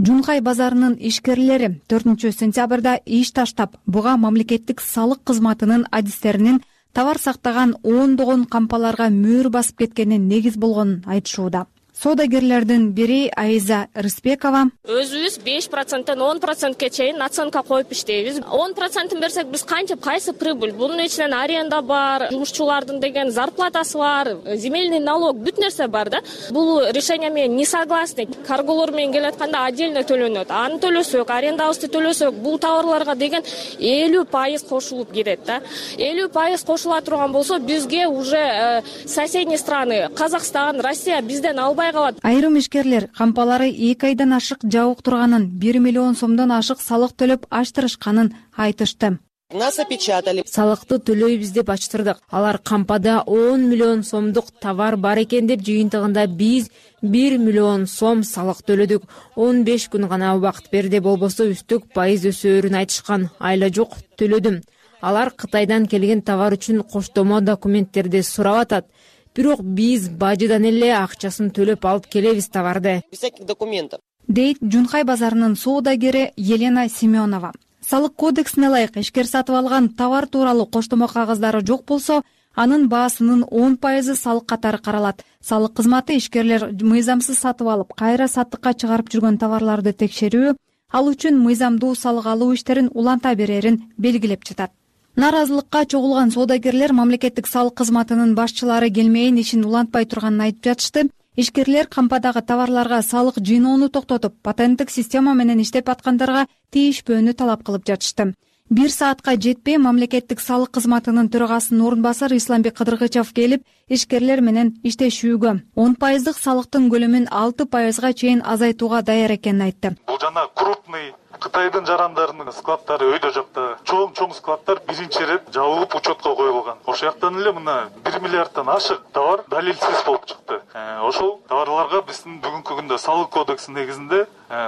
Жунхай базарынын ишкерлери төртүнчү сентябрда иш таштап, буга мамлекеттик салык кызматынын адистеринин товар сактаган ондогон кампаларга мөөр басып кеткенин негиз болгонун айтышууда. Соодагерлердин бири Айза Рыспекова: өзүбүз беш проценттен он процентке чейин наценка коюп иштейбиз. он процентин берсек биз канча кайсы прибыль? Бунун ичинен аренда бар, жумушчулардын деген зарплатасы бар, земельный налог, бүт нерсе бар да. Бул решение менен не согласны. Карголор менен келатканда отдельно төлөнөт. Аны төлөсөк, арендабызды төлөсөк, бул товарларга деген элүү пайыз кошулуп кетет да. элүү пайыз кошула турган болсо, бизге уже э, соседние страны, Казакстан, Россия бизден албай. Айрым ишкерлер кампалары эки айдан ашык жабык турганын, бир миллион сомдон ашык салык төлөп ачтырышканын айтышты. Нас опечатали. Салыкты төлөйбүз деп ачтырдык. Алар кампада он миллион сомдук товар бар экен деп жыйынтыгында биз бир миллион сом салык төлөдүк. он беш күн гана убакыт берди, болбосо үстүк пайыз өсөөрүн айтышкан. Айла жок, төлөдүм. Алар Кытайдан келген товар үчүн коштомо документтерди сурап атат. Бирок биз бажыдан эле акчасын төлөп алып келебиз товарды. Без всяких документов. Дейт Жунхай базарынын соодагери Елена Семенова. Салык кодексине ылайык ишкер сатып алган товар тууралуу коштомо кагаздары жок болсо, анын баасынын он пайызы салык катары каралат. Салык кызматы ишкерлер мыйзамсыз сатып алып, кайра саттыкка чыгарып жүргөн товарларды текшерүү, ал үчүн мыйзамдуу салык алуу иштерин уланта берерин белгилеп жатат. Нааразылыкка чогулган соодагерлер мамлекеттик салык кызматынын башчылары келмейин, ишин улантпай турганын айтып жатышты. Ишкерлер кампадагы товарларга салык жыйноону токтотуп, патенттик система менен иштеп аткандарга тийишпөөнү талап кылып жатышты. Бир саатка жетпей мамлекеттик салык кызматынын төрагасынын орун басары Исламбек Кыдыргычев келип, ишкерлер менен иштешүүгө он пайыздык салыктын көлөмүн алты пайызга чейин азайтууга даяр экенин айтты. Бул жана крупный Кытайдын жарандарынын складдары өйдө жакта. Чоң-чоң складдар биринчи ирет жабылып учетко коюлган. Ошол жактан эле мына бир миллиарддан ашык товар далилсиз болуп чыкты. Ошол товарларга биздин бүгүнкү күндө салык кодекси негизинде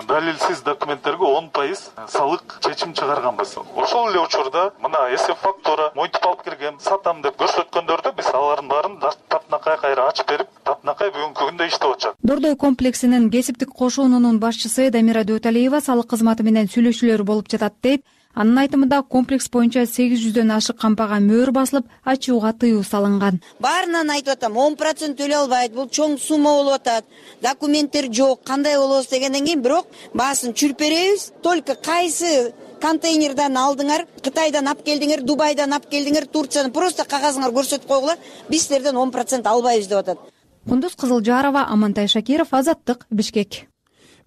далилсиз документтерге он пайыз салык чечим чыгарганбыз. Ошол эле учурда мына эсеп фактура монтип алып кирген, сатам деп көрсөткөндөрдү биз алардын баарын таптнакай кайра ачып берип, таптнакай бүгүнкү күндө иштеп атышат. Дордой комплексинин кесиптик кошуунунун башчысы Дамира Дөталиева салык кызматы менен сүйлөшүүлөр болуп жатат дейт. Анын айтымында комплекс боюнча сегиз жүздөн ашык кампага мөөр басылып, ачууга тыюу салынган. Баарынан айтып атам, он процент төлөй албайт, бул чоң сумма болуп атат. Документтер жок, кандай болобуз дегенден кийин бирок баасын чүрүп беребиз. Только кайсы контейнерден алдыңар, Кытайдан алып келдиңер, Дубайдан алып келдиңер, Турциядан просто кагазыңар көрсөтүп койгула, биз силерден он процент албайбыз деп атат. Кундуз Кызылжарова, Амантай Шакиров, Азаттык, Бишкек.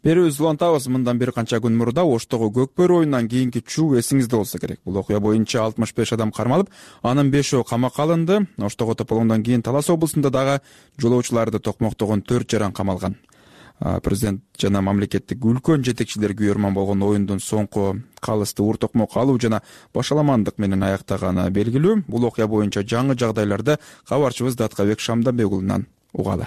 Берүүбүздү улантабыз. Мындан бир канча күн мурда Оштогу көкбөрү оюнунан кийинки чуу эсиңизде болсо керек. Бул окуя боюнча алтымыш беш адам кармалып, анын бешөө камакка алынды. Оштогу тополгондон кийин Талас облусунда дагы жолоочуларды токмоктогон төрт жаран камалган. Президент жана мамлекеттик үлкөн жетекчилер күйөрман болгон оюндун соңку калысты ур токмок алуу жана башаламандык менен аяктаганы белгилүү. Бул окуя боюнча жаңы жагдайларды кабарчыбыз Даткабек Шамданбек уулунан угалы.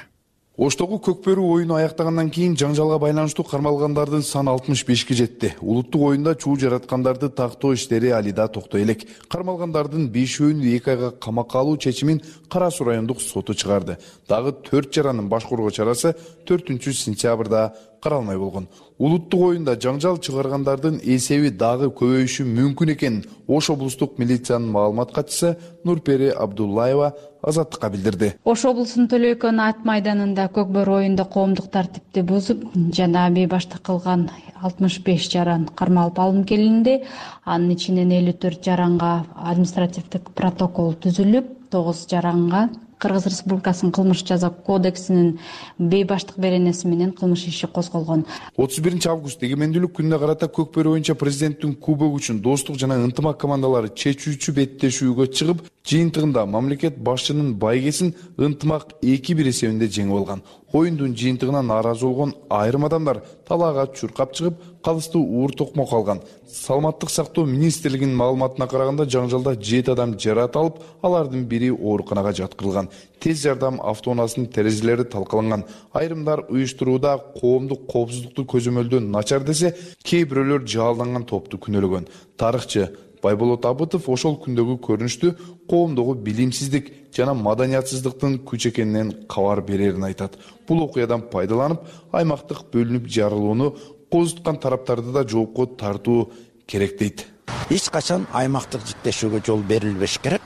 Оштогу көкбөрү оюну аяктагандан кийин жаңжалга байланыштуу кармалгандардын саны алтымыш бешке жетти. Улуттук оюнда чуу жараткандарды тактоо иштери али да токтой элек. Кармалгандардын бешөөнү эки айга камакка алуу чечимин Кара Суу райондук соту чыгарды. Дагы төрт жаранын баш коргоо чарасы төртүнчү сентябрда каралмай болгон. Улуттук оюнда жаңжал чыгаргандардын эсеби дагы көбөйүшү мүмкүн экенин Ош облустук милициянын маалымат катчысы Нурпери Абдуллаева Азаттыкка билдирди. Ош облусунун Төлөйкөн ат майданында көкбөрү оюнда коомдук тартипти бузуп жана бейбаштык кылган алтымыш беш жаран кармалып алынып келинди. Анын ичинен элүү төрт жаранга административдик протокол түзүлүп, тогуз жаранга Кыргыз Республикасынын кылмыш жаза кодексинин бейбаштык беренеси менен кылмыш иши козголгон. отуз биринчи август эгемендүүлүк күнүнө карата көкбөрү боюнча президенттин кубогу үчүн достук жана ынтымак командалары чечүүчү беттешүүгө чыгып, жыйынтыгында мамлекет башчынын байгесин ынтымак эки бир эсебинде жеңип алган. Оюндун жыйынтыгына нааразы болгон айрым адамдар талаага чуркап чыгып, калыстуу уур токмок алган. Саламаттык сактоо министрлигинин маалыматына караганда жаңжалда жети адам жараат алып, алардын бири ооруканага жаткырылган. Тез жардам автоунаасынын терезелери талкаланган. Айрымдар уюштурууда коомдук коопсуздукту көзөмөлдөө начар десе, кээ бирөөлөр жаалданган топту күнөөлөгөн. Тарыхчы Байболот Абытов ошол күндөгү көрүнүштү коомдогу билимсиздик жана маданиятсыздыктын күч экенинен кабар берерин айтат. Бул окуядан пайдаланып, аймактык бөлүнүп жарылууну козуткан тараптарды да жоопко тартуу керек дейт. Эч качан аймактык жиктешүүгө жол берилбеш керек.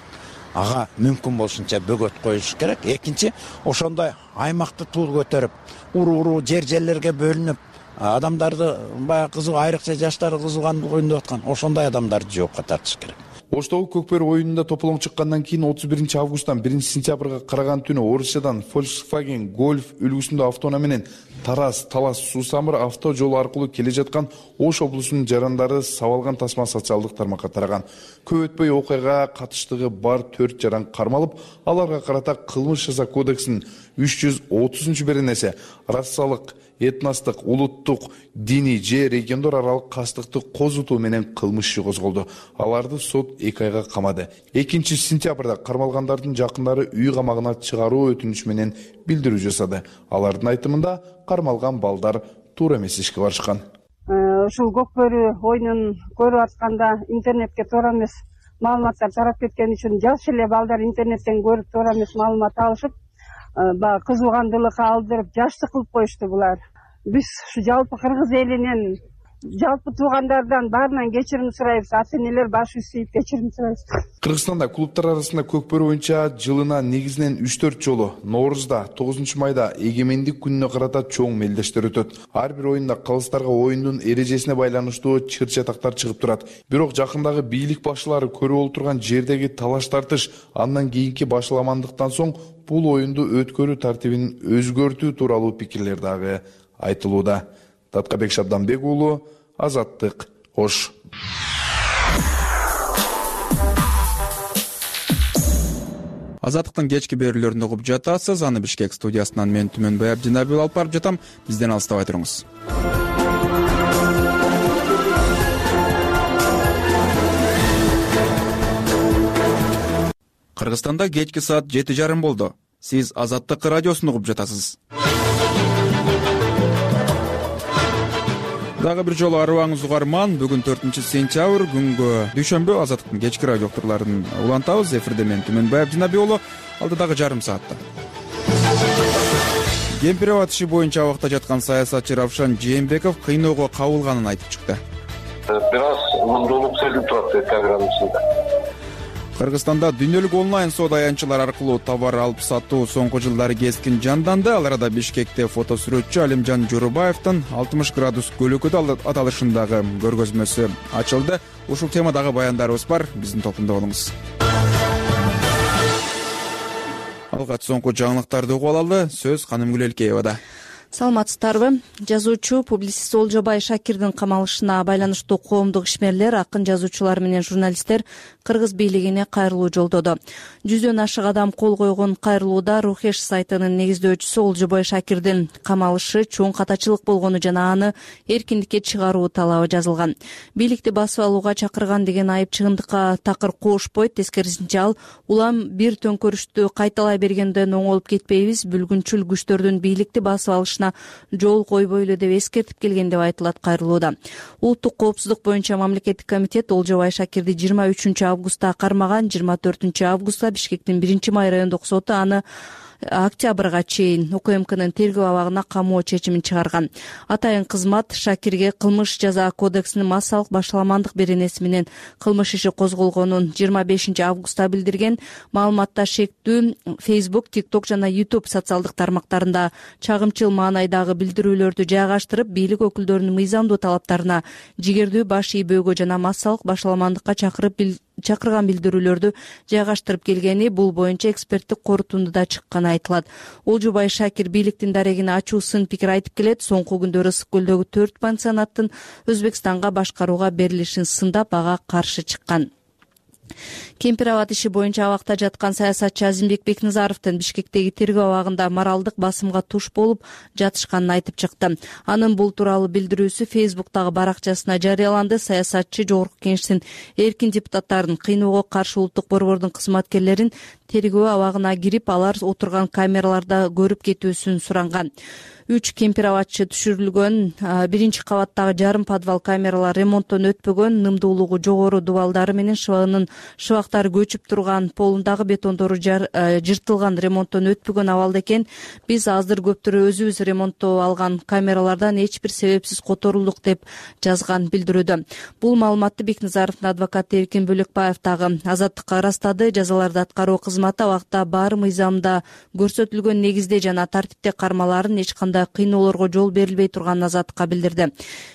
Ага мүмкүн болушунча бөгөт коюш керек. Экинчи, ошондой аймакты тул көтөрүп, уруу-уруу жер-жерлерге бөлүнүп, адамдарды баягы кызык айрыкча жаштары кызыгандык оюндап аткан ошондой адамдарды жоопко тартыш керек. Оштогу көкбөрү оюнунда тополоң чыккандан кийин отуз биринчи августтан биринчи сентябрга караган түнү Орусиядан Volkswagen Golf үлгүсүндө автоунаа менен Тарас Талас Суу Самыр авто жолу аркылуу келе жаткан Ош облусунун жарандары сабалган тасма социалдык тармакка тараган. Көп өтпөй окуяга катыштыгы бар төрт жаран кармалып, аларга карата кылмыш жаза кодексинин үч жүз отузунчу беренеси расалык, этностук, улуттук, диний же региондор аралык кастыкты козутуу менен кылмыш иши козголду. Аларды сот эки айга камады. экинчи сентябрда кармалгандардын жакындары үй камагына чыгаруу өтүнүч менен билдирүү жасады. Алардын айтымында кармалган балдар туура эмес ишке барышкан. Ушул көкбөрү оюнун көрүп атканда интернетке туура эмес маалыматтар тарап кеткен үчүн жаш эле балдар интернеттен көрүп туура эмес маалымат алышып, баягы кызуугандылыкка алдырып, жаштык кылып коюшту булар. Биз ушу жалпы кыргыз элинин жалпы туугандардан баарынан кечирим сурайбыз, ата энелер баш ийип кечирим сурайбыз. Кыргызстанда клубтар арасында көкбөрү боюнча жылына негизинен үч төрт жолу Ноорузда, тогузунчу майда эгемендик күнүнө карата чоң мелдештер өтөт. Ар бир оюнда калыстарга оюндун эрежесине байланыштуу чыр-чатактар чыгып турат. Бирок жакындагы бийлик башчылары көрүп отурган жердеги талаш тартыш андан кийинки башаламандыктан соң бул оюнду өткөрүү тартибин өзгөртүү тууралуу пикирлер дагы айтылууда. Таткабек Шабданбек уулу, Азаттык, Ош. Азаттыктын кечки берүүлөрүн угуп жатасыз. Аны Бишкек студиясынан мен Түмөнбай Абдинабиев алып барып жатам. Бизден алыстабай туруңуз. Кыргызстанда кечки саат жети жарым болду. Сиз Азаттык радиосун угуп жатасыз. Дагы бир жолу арыбаңыз угарман. Бүгүн төртүнчү сентябрь күнгө дүйшөмбү Азаттыктын кечки радио уктурларын улантабыз. Эфирде мен Түмөнбай Абдинабиев уулу. Алдыдагы жарым саатта Кемпир аба иши боюнча абакта жаткан саясатчы Равшан Жээнбеков кыйноого кабылганын айтып чыкты. Бир аз мындуулук сезилип турат программасында. Кыргызстанда дүйнөлүк онлайн соода аянтчылар аркылуу товар алып сатуу соңку жылдары кескин жанданды. Ал арада Бишкекте фотосүрөтчү Алимжан Жорубаевдин алтымыш градус көлөкөдө аталышындагы көргөзмөсү ачылды. Ушул темадагы баяндарыбыз бар. Биздин топунда болуңуз. Алгач соңку жаңылыктарды угуп алалы. Сөз Канымгүл Элкеевада. Саламатсыздарбы? Жазуучу, публицист Олжобай Шакирдин камалышына байланыштуу коомдук ишмерлер, акын жазуучулар менен журналисттер кыргыз бийлигине кайрылуу жолдоду. Жүздөн ашык адам кол койгон кайрылууда Рухеш сайтынын негиздөөчүсү Олжобай Шакирдин камалышы чоң катачылык болгону жана аны эркиндикке чыгаруу талабы жазылган. Бийликти басып алууга чакырган деген айып чыгымдыкка такыр коошпойт. Тескерисинче ал улам бир төңкөрүштү кайталай бергенден оңолуп кетпейбиз, бүлгүнчүл күчтөрдүн бийликти басып алышына жол койбойлу деп эскертип келген деп айтылат кайрылууда. Улуттук коопсуздук боюнча мамлекеттик комитет Олжобай Шакирди жыйырма үчүнчү августта кармаган. жыйырма төртүнчү августта Бишкектин биринчи май райондук соту аны октябрга чейин УКМКнын тергөө абагына камоо чечимин чыгарган. Атайын кызмат Шакирге кылмыш жаза кодексинин массалык башаламандык беренеси менен кылмыш иши козголгонун жыйырма бешинчи августта билдирген. Маалыматта шектүү Facebook, TikTok жана YouTube социалдык тармактарында чагымчыл маанайдагы билдирүүлөрдү жайгаштырып, бийлик өкүлдөрүнүн мыйзамдуу талаптарына жигердүү баш ийбөөгө жана массалык башаламандыкка чакырып чакырган билдирүүлөрдү жайгаштырып келгени бул боюнча эксперттик корутундуда чыкканы айтылат. Олжобай Шакир бийликтин дарегине ачуу сын пикир айтып келет. Соңку күндөрү Ысык көлдөгү төрт пансионаттын Өзбекстанга башкарууга берилишин сындап, ага каршы чыккан. Кемпир аба иши боюнча абакта жаткан саясатчы Азимбек Бекназаровдун Бишкектеги тергөө абагында моралдык басымга туш болуп жатышканын айтып чыкты. Анын бул тууралуу билдирүүсү Facebook'тагы баракчасына жарыяланды. Саясатчы Жогорку Кеңештин эркин депутаттарын, кыйноого каршы улуттук борбордун кызматкерлерин тергөө абагына кирип, алар отурган камераларда көрүп кетүүсүн суранган. Үч кемпир абачы түшүрүлгөн. Биринчи кабаттагы жарым подвал камералар ремонттон өтпөгөн, нымдуулугу жогору дубалдары менен шыбагынын шыбактары көчүп турган, полундагы бетондору жыртылган, ремонттон өтпөгөн абалда экен. Биз азыр көптөрү өзүбүз ремонттоп алган камералардан эч бир себепсиз которулдук деп жазган билдирүүдө. Бул маалыматты Бекназаровдун адвокаты Эркин Бөлөкбаев дагы Азаттыкка ырастады. Жазаларды аткаруу кызматы абакта баары мыйзамда көрсөтүлгөн негизде жана тартипте кармаларын эч кандай кыйноолорго жол берилбей турганын Азаттыкка билдирди.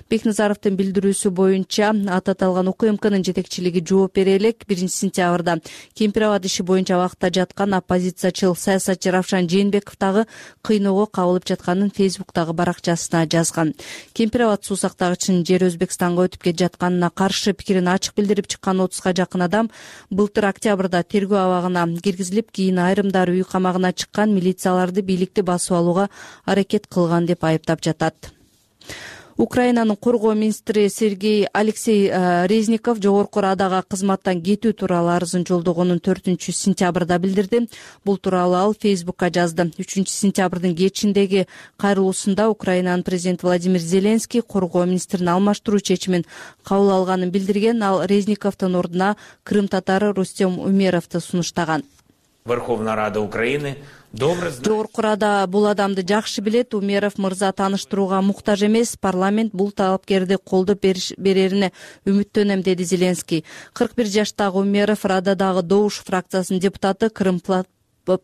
Бекназаровдун билдирүүсү боюнча аты аталган УКМКнын жетекчилиги жооп бере элек. биринчи сентябрда кемпир аба иши боюнча абакта жаткан оппозициячыл саясатчы Равшан Жээнбеков дагы кыйноого кабылып жатканын Facebook'тагы баракчасына жазган. Кемпир аба суу сактагычынын жери Өзбекстанга өтүп кетип жатканына каршы пикирин ачык билдирип чыккан отузга жакын адам былтыр октябрда тергөө абагына киргизилип, кийин айрымдары үй камагына чыккан. Милицияларды бийликти басып алууга аракет кылган деп айыптап жатат. Украинанын коргоо министри Сергей Алексей Резников Жогорку Радага кызматтан кетүү тууралуу арызын жолдогонун төртүнчү сентябрда билдирди. Бул тууралуу ал Facebook'ка жазды. үчүнчү сентябрдын кечиндеги кайрылуусунда Украинанын президенти Владимир Зеленский коргоо министрин алмаштыруу чечимин кабыл алганын билдирген. Ал Резниковдун ордуна Крым татары Рустем Умеровду сунуштаган. Верховная Рада Украины Жогорку Рада бул адамды жакшы билет, Умеров мырза тааныштырууга муктаж эмес, парламент бул талапкерди колдоп берерине үмүттөнөм, деди Зеленский. кырк бир жаштагы Умеров Рададагы Добуш фракциясынын депутаты, Крым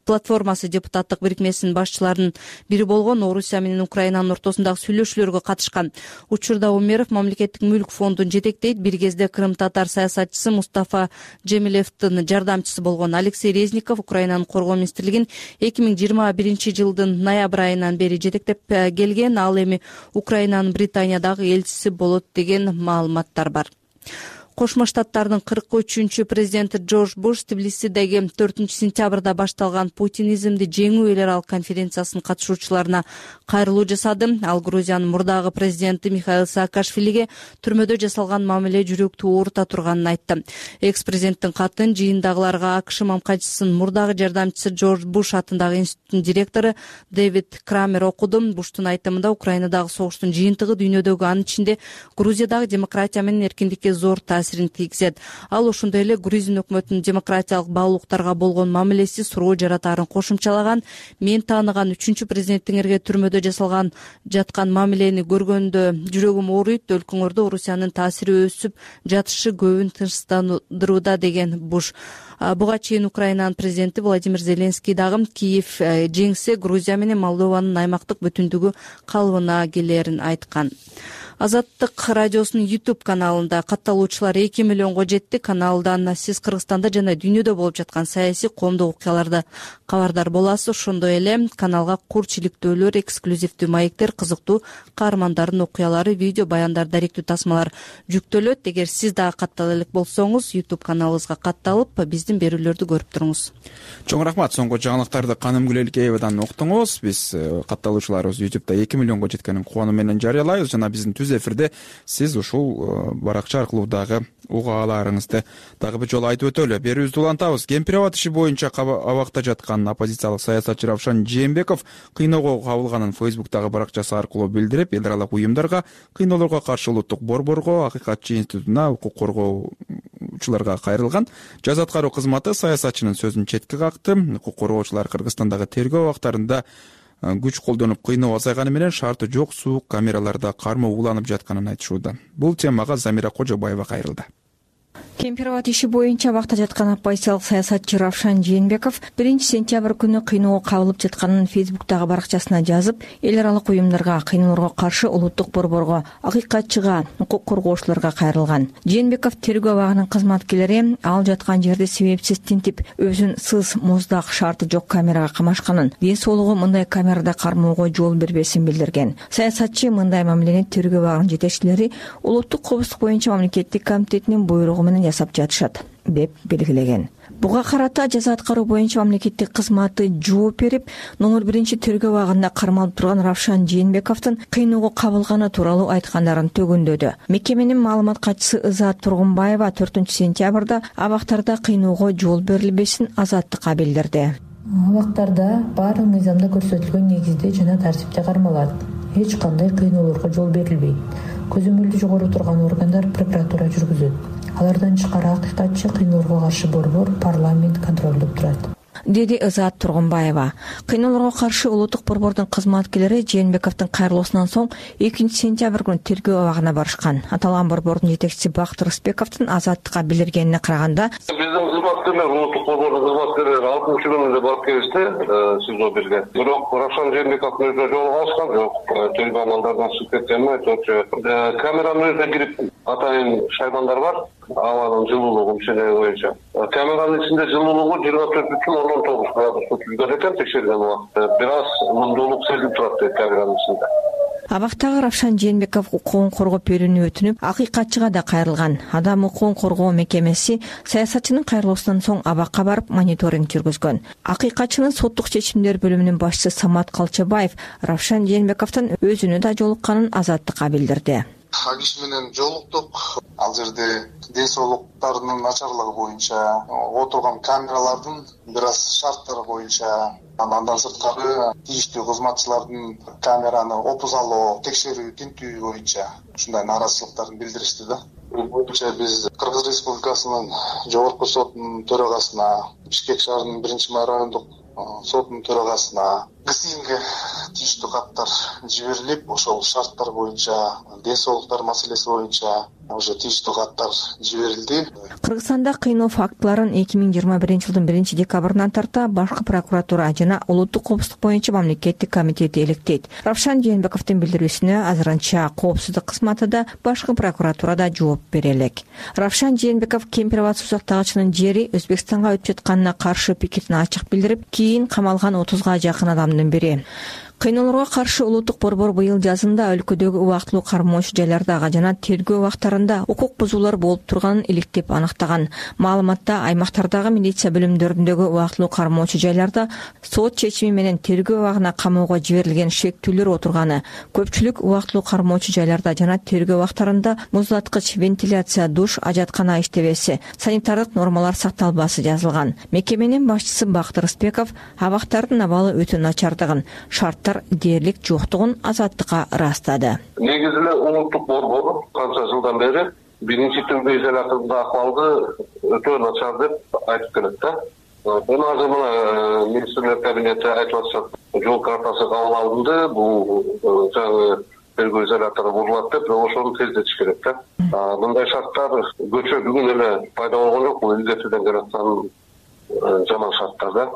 платформасы депутаттык бирикмесинин башчыларынын бири болгон. Орусия менен Украинанын ортосундагы сүйлөшүүлөргө катышкан. Учурда Умеров мамлекеттик мүлк фондун жетектейт. Бир кезде Крым татар саясатчысы Мустафа Джемилевдин жардамчысы болгон. Алексей Резников Украинанын коргоо министрлигин эки миң жыйырма биринчи жылдын ноябрь айынан бери жетектеп келген. Ал эми Украинанын Британиядагы элчиси болот деген маалыматтар бар. Кошмо Штаттардын кырк үчүнчү президенти Джордж Буш Тбилисидеги төртүнчү сентябрда башталган путинизмди жеңүү эл аралык конференциясынын катышуучуларына кайрылуу жасады. Ал Грузиянын мурдагы президенти Михаил Саакашвилиге түрмөдө жасалган мамиле жүрөктү оорута турганын айтты. Экс-президенттин катын жыйындагыларга АКШ мамкачысынын мурдагы жардамчысы Джордж Буш атындагы институттун директору Дэвид Крамер окуду. Буштун айтымында Украинадагы согуштун жыйынтыгы дүйнөдөгү, анын ичинде Грузиядагы демократия менен эркиндикке зор таасирин тийгизет. Ал ошондой эле Грузин өкмөтүнүн демократиялык баалуулуктарга болгон мамилеси суроо жаратаарын кошумчалаган. Мен тааныган үчүнчү президенттиңерге түрмөдө жасалган жаткан мамилени көргөндө жүрөгүм ооруйт. Өлкөңөрдө Орусиянын таасири өсүп жатышы көбүн тынчтандырууда, деген Буш. Буга чейин Украинанын президенти Владимир Зеленский дагы Киев жеңсе Грузия менен Молдованын аймактык бүтүндүгү калыбына келерин айткан. Азаттык радиосунун YouTube каналында катталуучулар эки миллионго жетти. Каналдан сиз Кыргызстанда жана дүйнөдө болуп жаткан саясий, коомдук окуяларда кабардар боласыз. Ошондой эле каналга курч иликтөөлөр, эксклюзивдүү маектер, кызыктуу каармандардын окуялары, видео баяндар, даректүү тасмалар жүктөлөт. Эгер сиз дагы каттала элек болсоңуз, YouTube каналыбызга катталып, биздин берүүлөрдү көрүп туруңуз. Чоң рахмат. Соңку жаңылыктарды Каным Гүлелкеевадан уктуңуз. Биз катталуучуларыбыз YouTube'да эки миллионго жеткенин кубануу менен жарыялайбыз жана биздин түз эфирде сиз ушул баракча аркылуу дагы уга аларыңызды дагы бир жолу айтып өтөлү. Берүүбүздү улантабыз. Кемпир аба иши боюнча абакта жаткан оппозициялык саясатчы Равшан Жээнбеков кыйноого кабылганын Facebook'тагы баракчасы аркылуу билдирип, эл аралык уюмдарга, кыйноолорго каршы улуттук борборго, Акыйкатчы институтуна, укук коргоочуларга кайрылган. Жаза аткаруу кызматы саясатчынын сөзүн четке какты. Укук коргоочулар Кыргызстандагы тергөө убактарында күч колдонуп кыйноо азайганы менен шарты жок суук камераларда кармоо уланып жатканын айтышууда. Бул темага Замира Кожобаева кайрылды. Кемпир аба иши боюнча абакта жаткан оппозициялык саясатчы Равшан Жээнбеков биринчи сентябрь күнү кыйноого кабылып жатканын Facebook'тагы баракчасына жазып, эл аралык уюмдарга, кыйноолорго каршы улуттук борборго, Акыйкатчыга, укук коргоочуларга кайрылган. Жээнбеков тергөө абагынын кызматкерлери ал жаткан жерди себепсиз тинтип, өзүн сыз, муздак, шарты жок камерага камашканын, ден соолугу мындай камерада кармоого жол бербесин билдирген. Саясатчы мындай мамилени тергөө абагынын жетекчилери улуттук коопсуздук боюнча мамлекеттик комитетинин буйругу менен жасап жатышат деп белгилеген. Буга карата жаза аткаруу боюнча мамлекеттик кызматы жооп берип, номер биринчи тергөө абагында кармалып турган Равшан Жээнбековдун кыйноого кабылганы тууралуу айткандарын төгүндөдү. Мекеменин маалымат катчысы Ызаат Тургунбаева төртүнчү сентябрда абактарда кыйноого жол берилбесин Азаттыкка билдирди. Абактарда баары мыйзамда көрсөтүлгөн негизде жана тартипте кармалат. Эч кандай кыйноолорго жол берилбейт. Көзөмөлдү жогору турган органдар прокуратура жүргүзөт. Алардан тышкары Акыйкатчы, кыйноолорго каршы борбор, парламент контролдоп турат, деди Ызаат Тургунбаева. Кыйноолорго каршы улуттук борбордун кызматкерлери Жээнбековдун кайрылуусунан соң экинчи сентябрь күнү тергөө абагына барышкан. Аталган борбордун жетекчиси Бактыр Рысбековдун Азаттыкка билдиргенине караганда, биздин кызматкерлер, улуттук борбордун кызматкерлери алтымыш күнүндө барып келишти СИЗО бирге. Бирок Равшан Жээнбековдун өзү жолуга алышкан жок. Тергөө амалдарынан чыгып кеткенин айтчу. Камеранын өзүнө кирип атайын шаймандар бар. Абанын жылуулугу мишенеги боюнча. Камеранын ичинде жылуулугу жыйырма төрт бүтүн ондон тогуз градус түзгөн экен текшерген убакытта. Бир аз мундуулук сезилип турат дейт камеранын ичинде. Абактагы Равшан Жээнбеков укугун коргоп берүүнү өтүнүп, Акыйкатчыга да кайрылган. Адам укугун коргоо мекемеси саясатчынын кайрылуусунан соң абакка барып мониторинг жүргүзгөн. Акыйкатчынын соттук чечимдер бөлүмүнүн башчысы Самат Калчабаев Равшан Жээнбековдун өзүнө да жолукканын Азаттыкка билдирди. Ал киши менен жолуктук. Ал жерде ден соолуктарынын начарлыгы боюнча отурган камералардын бир аз шарттары боюнча, андан сырткары тийиштүү кызматчылардын камераны опузалоо, текшерүү, тинтүү боюнча ушундай нааразычылыктарын билдиришти да. Бул боюнча биз Кыргыз Республикасынын жогорку сотунун төрагасына, Бишкек шаарынын биринчи райондук соттун төрагасына ГСИНге тийиштүү каттар жиберилип, ошол шарттар боюнча, ден соолуктар маселеси боюнча уже тийиштүү каттар жиберилди. Кыргызстанда кыйноо фактыларын эки миң жыйырма биринчи жылдын биринчи декабрынан тарта башкы прокуратура жана улуттук коопсуздук боюнча мамлекеттик комитети иликтейт. Равшан Жээнбековдун билдирүүсүнө азырынча коопсуздук кызматы да башкы прокуратурада жооп бере элек. Равшан Жээнбеков Кемпироват суу сактагычынын жери Өзбекстанга өтүп жатканына каршы пикетин ачык билдирип, кийин камалган отузга жакын адамдын бири. Кыйноолорго каршы улуттук борбор быйыл жазында өлкөдөгү убактылуу кармоочу жайлардагы жана тергөө убактарында укук бузуулар болуп турганын иликтеп аныктаган. Маалыматта аймактардагы милиция бөлүмдөрүндөгү убактылуу кармоочу жайларда сот чечими менен тергөө убагына камоого жиберилген шектүүлөр отурганы, көпчүлүк убактылуу кармоочу жайларда жана тергөө убактарында муздаткыч, вентиляция, душ, ажаткана иштебеси, санитардык нормалар сакталбасы жазылган. Мекеменин башчысы Бактыр Ысбеков абактардын абалы өтө начардыгын, шарттар дээрлик жоктугун Азаттыкка ырастады. Негизи эле улуттук борбор канча жылдан бери биринчи тергөө изоляторунда акыбалды өтө начар деп айтып келет да. Муну азыр мына министрлер кабинети айтып атышат, жол картасы кабыл алынды, бул жаңы тергөө изолятору бурулат деп, ошону тездетиш керек да. Мындай шарттар көчө бүгүн эле пайда болгон жок, бул илгертеден келаткан жаман шарттар да.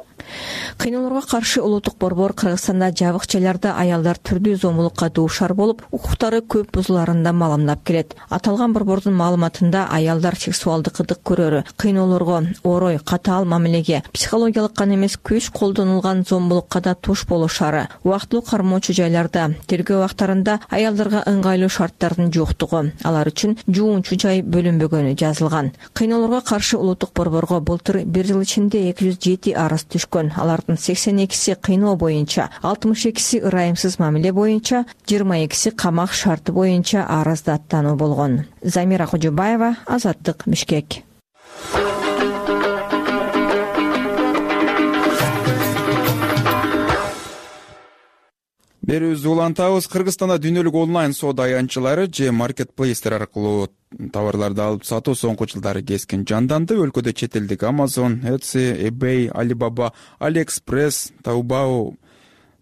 Кыйноолорго каршы улуттук борбор Кыргызстанда жабык жайларда аялдар түрдүү зомбулукка дуушар болуп, укуктары көп бузуларын да маалымдап келет. Аталган борбордун маалыматында аялдар сексуалдык кыдык көрөрү, кыйноолорго, орой, катаал мамилеге, психологиялык гана эмес күч колдонулган зомбулукка да туш болушары, убактылуу кармоочу жайларда, тергөө убактарында аялдарга ыңгайлуу шарттардын жоктугу, алар үчүн жуунчу жай бөлүнбөгөнү жазылган. Кыйноолорго каршы улуттук борборго былтыр бир жыл ичинде эки жүз жети арыз түшкөн. Алардын сексен экиси кыйноо боюнча, алтымыш экиси ырайымсыз мамиле боюнча, жыйырма экиси камак шарты боюнча арызды аттануу болгон. Замира Кожобаева, Азаттык, Бишкек. Берүүбүздү улантабыз. Кыргызстанда дүйнөлүк онлайн соода аянтчылары же маркетплейстер аркылуу товарларды алып сатуу соңку жылдары кескин жанданды. Өлкөдө чет элдик Amazon, Etsy, eBay, Alibaba, AliExpress, Taobao,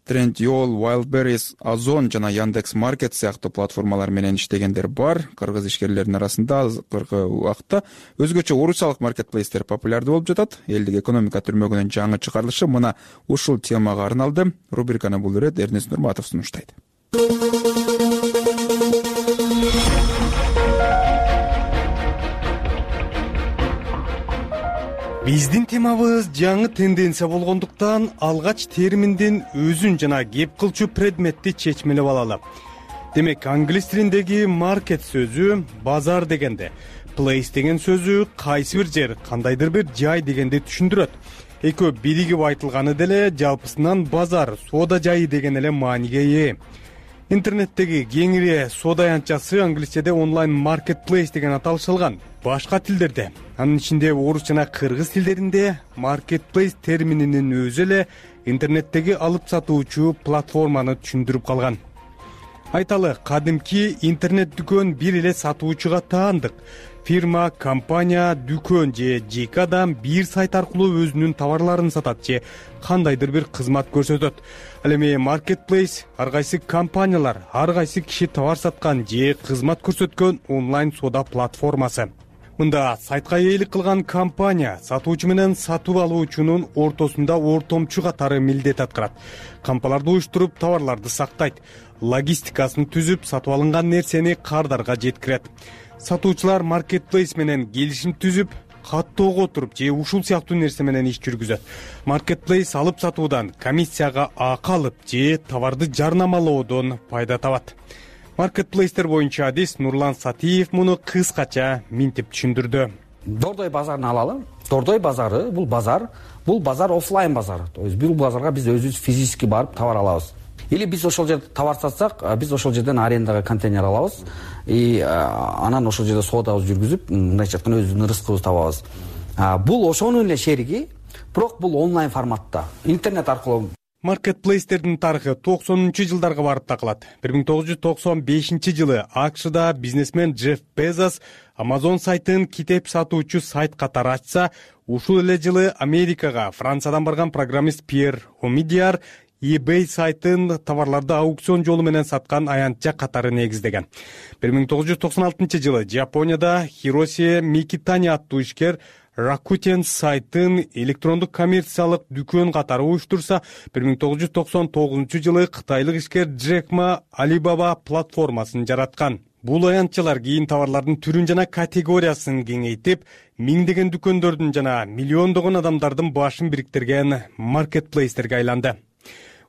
Trendyol, Wildberries, Ozon жана Яндекс.Маркет сыяктуу платформалар менен иштегендер бар. Кыргыз ишкерлеринин арасында азыркы убакытта өзгөчө орусиялык маркетплейстер популярдуу болуп жатат. Элдик экономика түрмөгүнүн жаңы чыгарылышы мына ушул темага арналды. Рубриканы бул ирет Эрнест Нурматов сунуштайт. Биздин темабыз жаңы тенденция болгондуктан алгач терминдин өзүн жана кеп кылчу предметти чечмелеп алалы. Демек, англис тилиндеги market сөзү базар дегенде, place деген сөзү кайсы бир жер, кандайдыр бир жай дегенди түшүндүрөт. Экөө биригип айтылганы деле жалпысынан базар, соода жайы деген эле мааниге ээ. Интернеттеги кеңири соода аянтчасы англисчеде онлайн marketplace деген аталышылган. Башка тилдерде, анын ичинде орус жана кыргыз тилдеринде marketplace термининин өзү эле интернеттеги алып сатуучу платформаны түшүндүрүп калган. Айталы, кадимки интернет дүкөн бир эле сатуучуга таандык. Фирма, компания, дүкөн же жеке адам бир сайт аркылуу өзүнүн товарларын сатат же кандайдыр бир кызмат көрсөтөт. Ал эми marketplace ар кайсы компаниялар, ар кайсы киши товар саткан же кызмат көрсөткөн онлайн соода платформасы. Мында сайтка ээлик кылган компания сатуучу менен сатып алуучунун ортосунда ортомчу катары милдет аткарат. Кампаларды уюштуруп, товарларды сактайт, логистикасын түзүп, сатып алынган нерсени кардарга жеткирет. Сатуучулар marketplace менен келишим түзүп, каттоого отуруп же ушул сыяктуу нерсе менен иш жүргүзөт. Marketplace алып сатуудан комиссияга акы алып же товарды жарнамалоодон пайда табат. Marketplace'тер боюнча адис Нурлан Сатиев муну кыскача минтип түшүндүрдү. Дордой базарын алалы. Дордой базары бул базар, бул базар офлайн базар. То есть бул базарга биз өзүбүз физически барып товар алабыз. Или биз ошол жерде товар сатсак, биз ошол жерден арендага контейнер алабыз и анан ошол жерде соодабызды жүргүзүп, мындайча айтканда өзүбүздүн рызкыбызды табабыз. Бул ошонун эле шериги, бирок бул онлайн форматта, интернет аркылуу. маркетплейстердин тарыхы токсонунчу жылдарга барып такылат. бир миң тогуз жүз токсон бешинчи жылы АКШда бизнесмен Джефф Безос Amazon сайтын китеп сатуучу сайт катары ачса, ушул эле жылы Америкага Франциядан барган программист Пьер Омидиар eBay сайтын товарларды аукцион жолу менен саткан аянтча катары негиздеген. бир миң тогуз жүз токсон алтынчы жылы Жапонияда Хироси Микитани аттуу ишкер Rakuten сайтын электрондук коммерциялык дүкөн катары уюштурса, бир миң тогуз жүз токсон тогузунчу жылы кытайлык ишкер Джек Ма Alibaba платформасын жараткан. Бул аянтчалар кийин товарлардын түрүн жана категориясын кеңейтип, миңдеген дүкөндөрдүн жана миллиондогон адамдардын башын бириктирген маркетплейстерге айланды.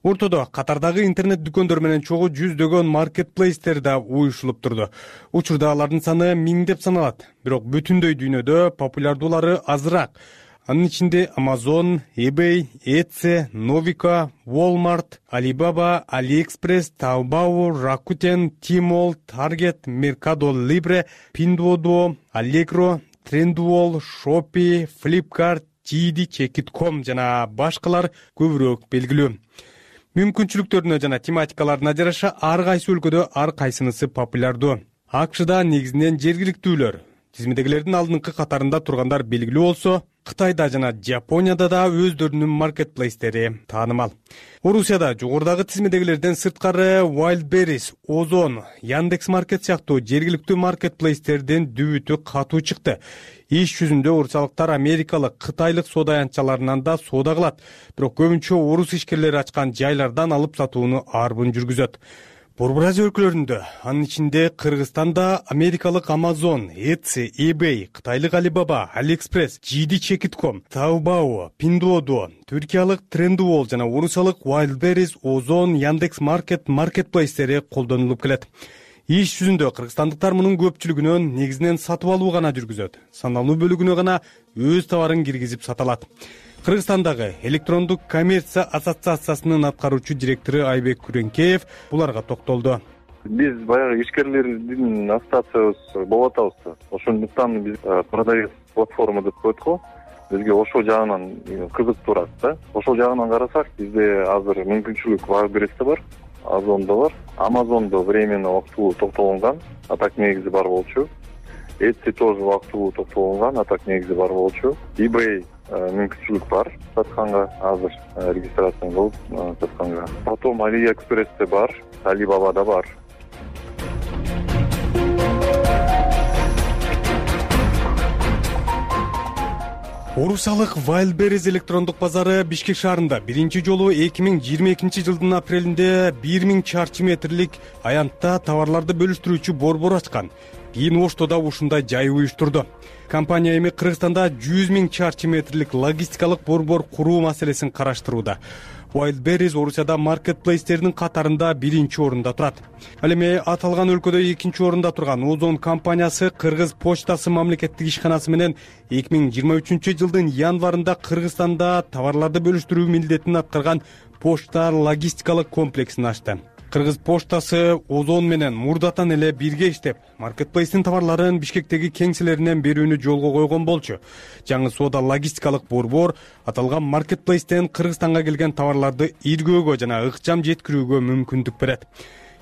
Ортодо катардагы интернет дүкөндөр менен чогуу жүздөгөн маркетплейстер да уюшулуп турду. Учурда алардын саны миңдеп саналат, бирок бүтүндөй дүйнөдө популярдуулары азыраак. Анын ичинде Amazon, eBay, Etsy, Novico, Walmart, Alibaba, AliExpress, Taobao, Rakuten, Tmall, Target, Mercado Libre, Pinduoduo, Allegro, Trendyol, Shopee, Flipkart, джи ди чек ит точка ком жана башкалар көбүрөөк белгилүү. Мүмкүнчүлүктөрүнө жана тематикаларына жараша ар кайсы өлкөдө ар кайсынысы популярдуу. АКШда негизинен жергиликтүүлөр, тизмедегилердин алдыңкы катарында тургандар белгилүү болсо, Кытайда жана Жапонияда да өздөрүнүн маркетплейстери таанымал. Орусияда жогорудагы тизмедегилерден сырткары Wildberries, Озон, Яндекс.Маркет сыяктуу жергиликтүү маркетплейстердин дүбүтү катуу чыкты. Иш жүзүндө орусиялыктар америкалык, кытайлык соода аянтчаларынан да соода кылат, бирок көбүнчө орус ишкерлери ачкан жайлардан алып сатууну арбын жүргүзөт. Борбор Азия өлкөлөрүндө, анын ичинде Кыргызстанда америкалык Amazon, Etsy, eBay, кытайлык Alibaba, AliExpress, джи ди чек ит точка ком, Taobao, Pinduoduo, түркиялык Trendyol жана орусиялык Wildberries, Озон, Яндекс.Маркет маркетплейстери колдонулуп келет. Иш жүзүндө кыргызстандыктар мунун көпчүлүгүнөн негизинен сатып алуу гана жүргүзөт. Саналуу бөлүгүнө гана өз товарын киргизип саталат. Кыргызстандагы электрондук коммерция ассоциациясынын аткаруучу директору Айбек Күрөнкеев буларга токтолду. Биз баягы ишкерлердин ассоциациябыз болуп атабыз. Ошондуктан биз продавец платформа деп коет го. Бизге ошол жагынан кызык турат да. Ошол жагынан карасак, бизде азыр мүмкүнчүлүк Wildberries'те бар, Озондо бар, Amazon'до временно убактылуу токтолгон, а так негизи бар болчу. Etsy тоже убактылуу токтолгон, а так негизи бар болчу. eBay мүмкүнчүлүк бар сатканга, азыр регистрация кылып сатканга. Потом AliExpress'те бар, Alibaba'da бар. Орусиялык Wildberries электрондук базары Бишкек шаарында биринчи жолу эки миң жыйырма экинчи жылдын апрелинде бир миң чарчы метрлик аянтта товарларды бөлүштүрүүчү борбор ачкан. Кийин Оштода ушундай жай уюштурду. Компания эми Кыргызстанда жүз миң чарчы метрлик логистикалык борбор куруу маселесин караштырууда. Wildberries Орусияда маркетплейстердин катарында биринчи орунда турат. Ал эми аталган өлкөдө экинчи орунда турган Озон компаниясы Кыргыз почтасы мамлекеттик ишканасы менен эки миң жыйырма үчүнчү жылдын январында Кыргызстанда товарларды бөлүштүрүү милдетин аткарган почта логистикалык комплексин ачты. Кыргыз почтасы Озон менен мурдатан эле бирге иштеп, маркетплейстин товарларын Бишкектеги кеңселеринен берүүнү жолго койгон болчу. Жаңы соода логистикалык борбор аталган маркетплейстен Кыргызстанга келген товарларды иргөөгө жана ыкчам жеткирүүгө мүмкүндүк берет.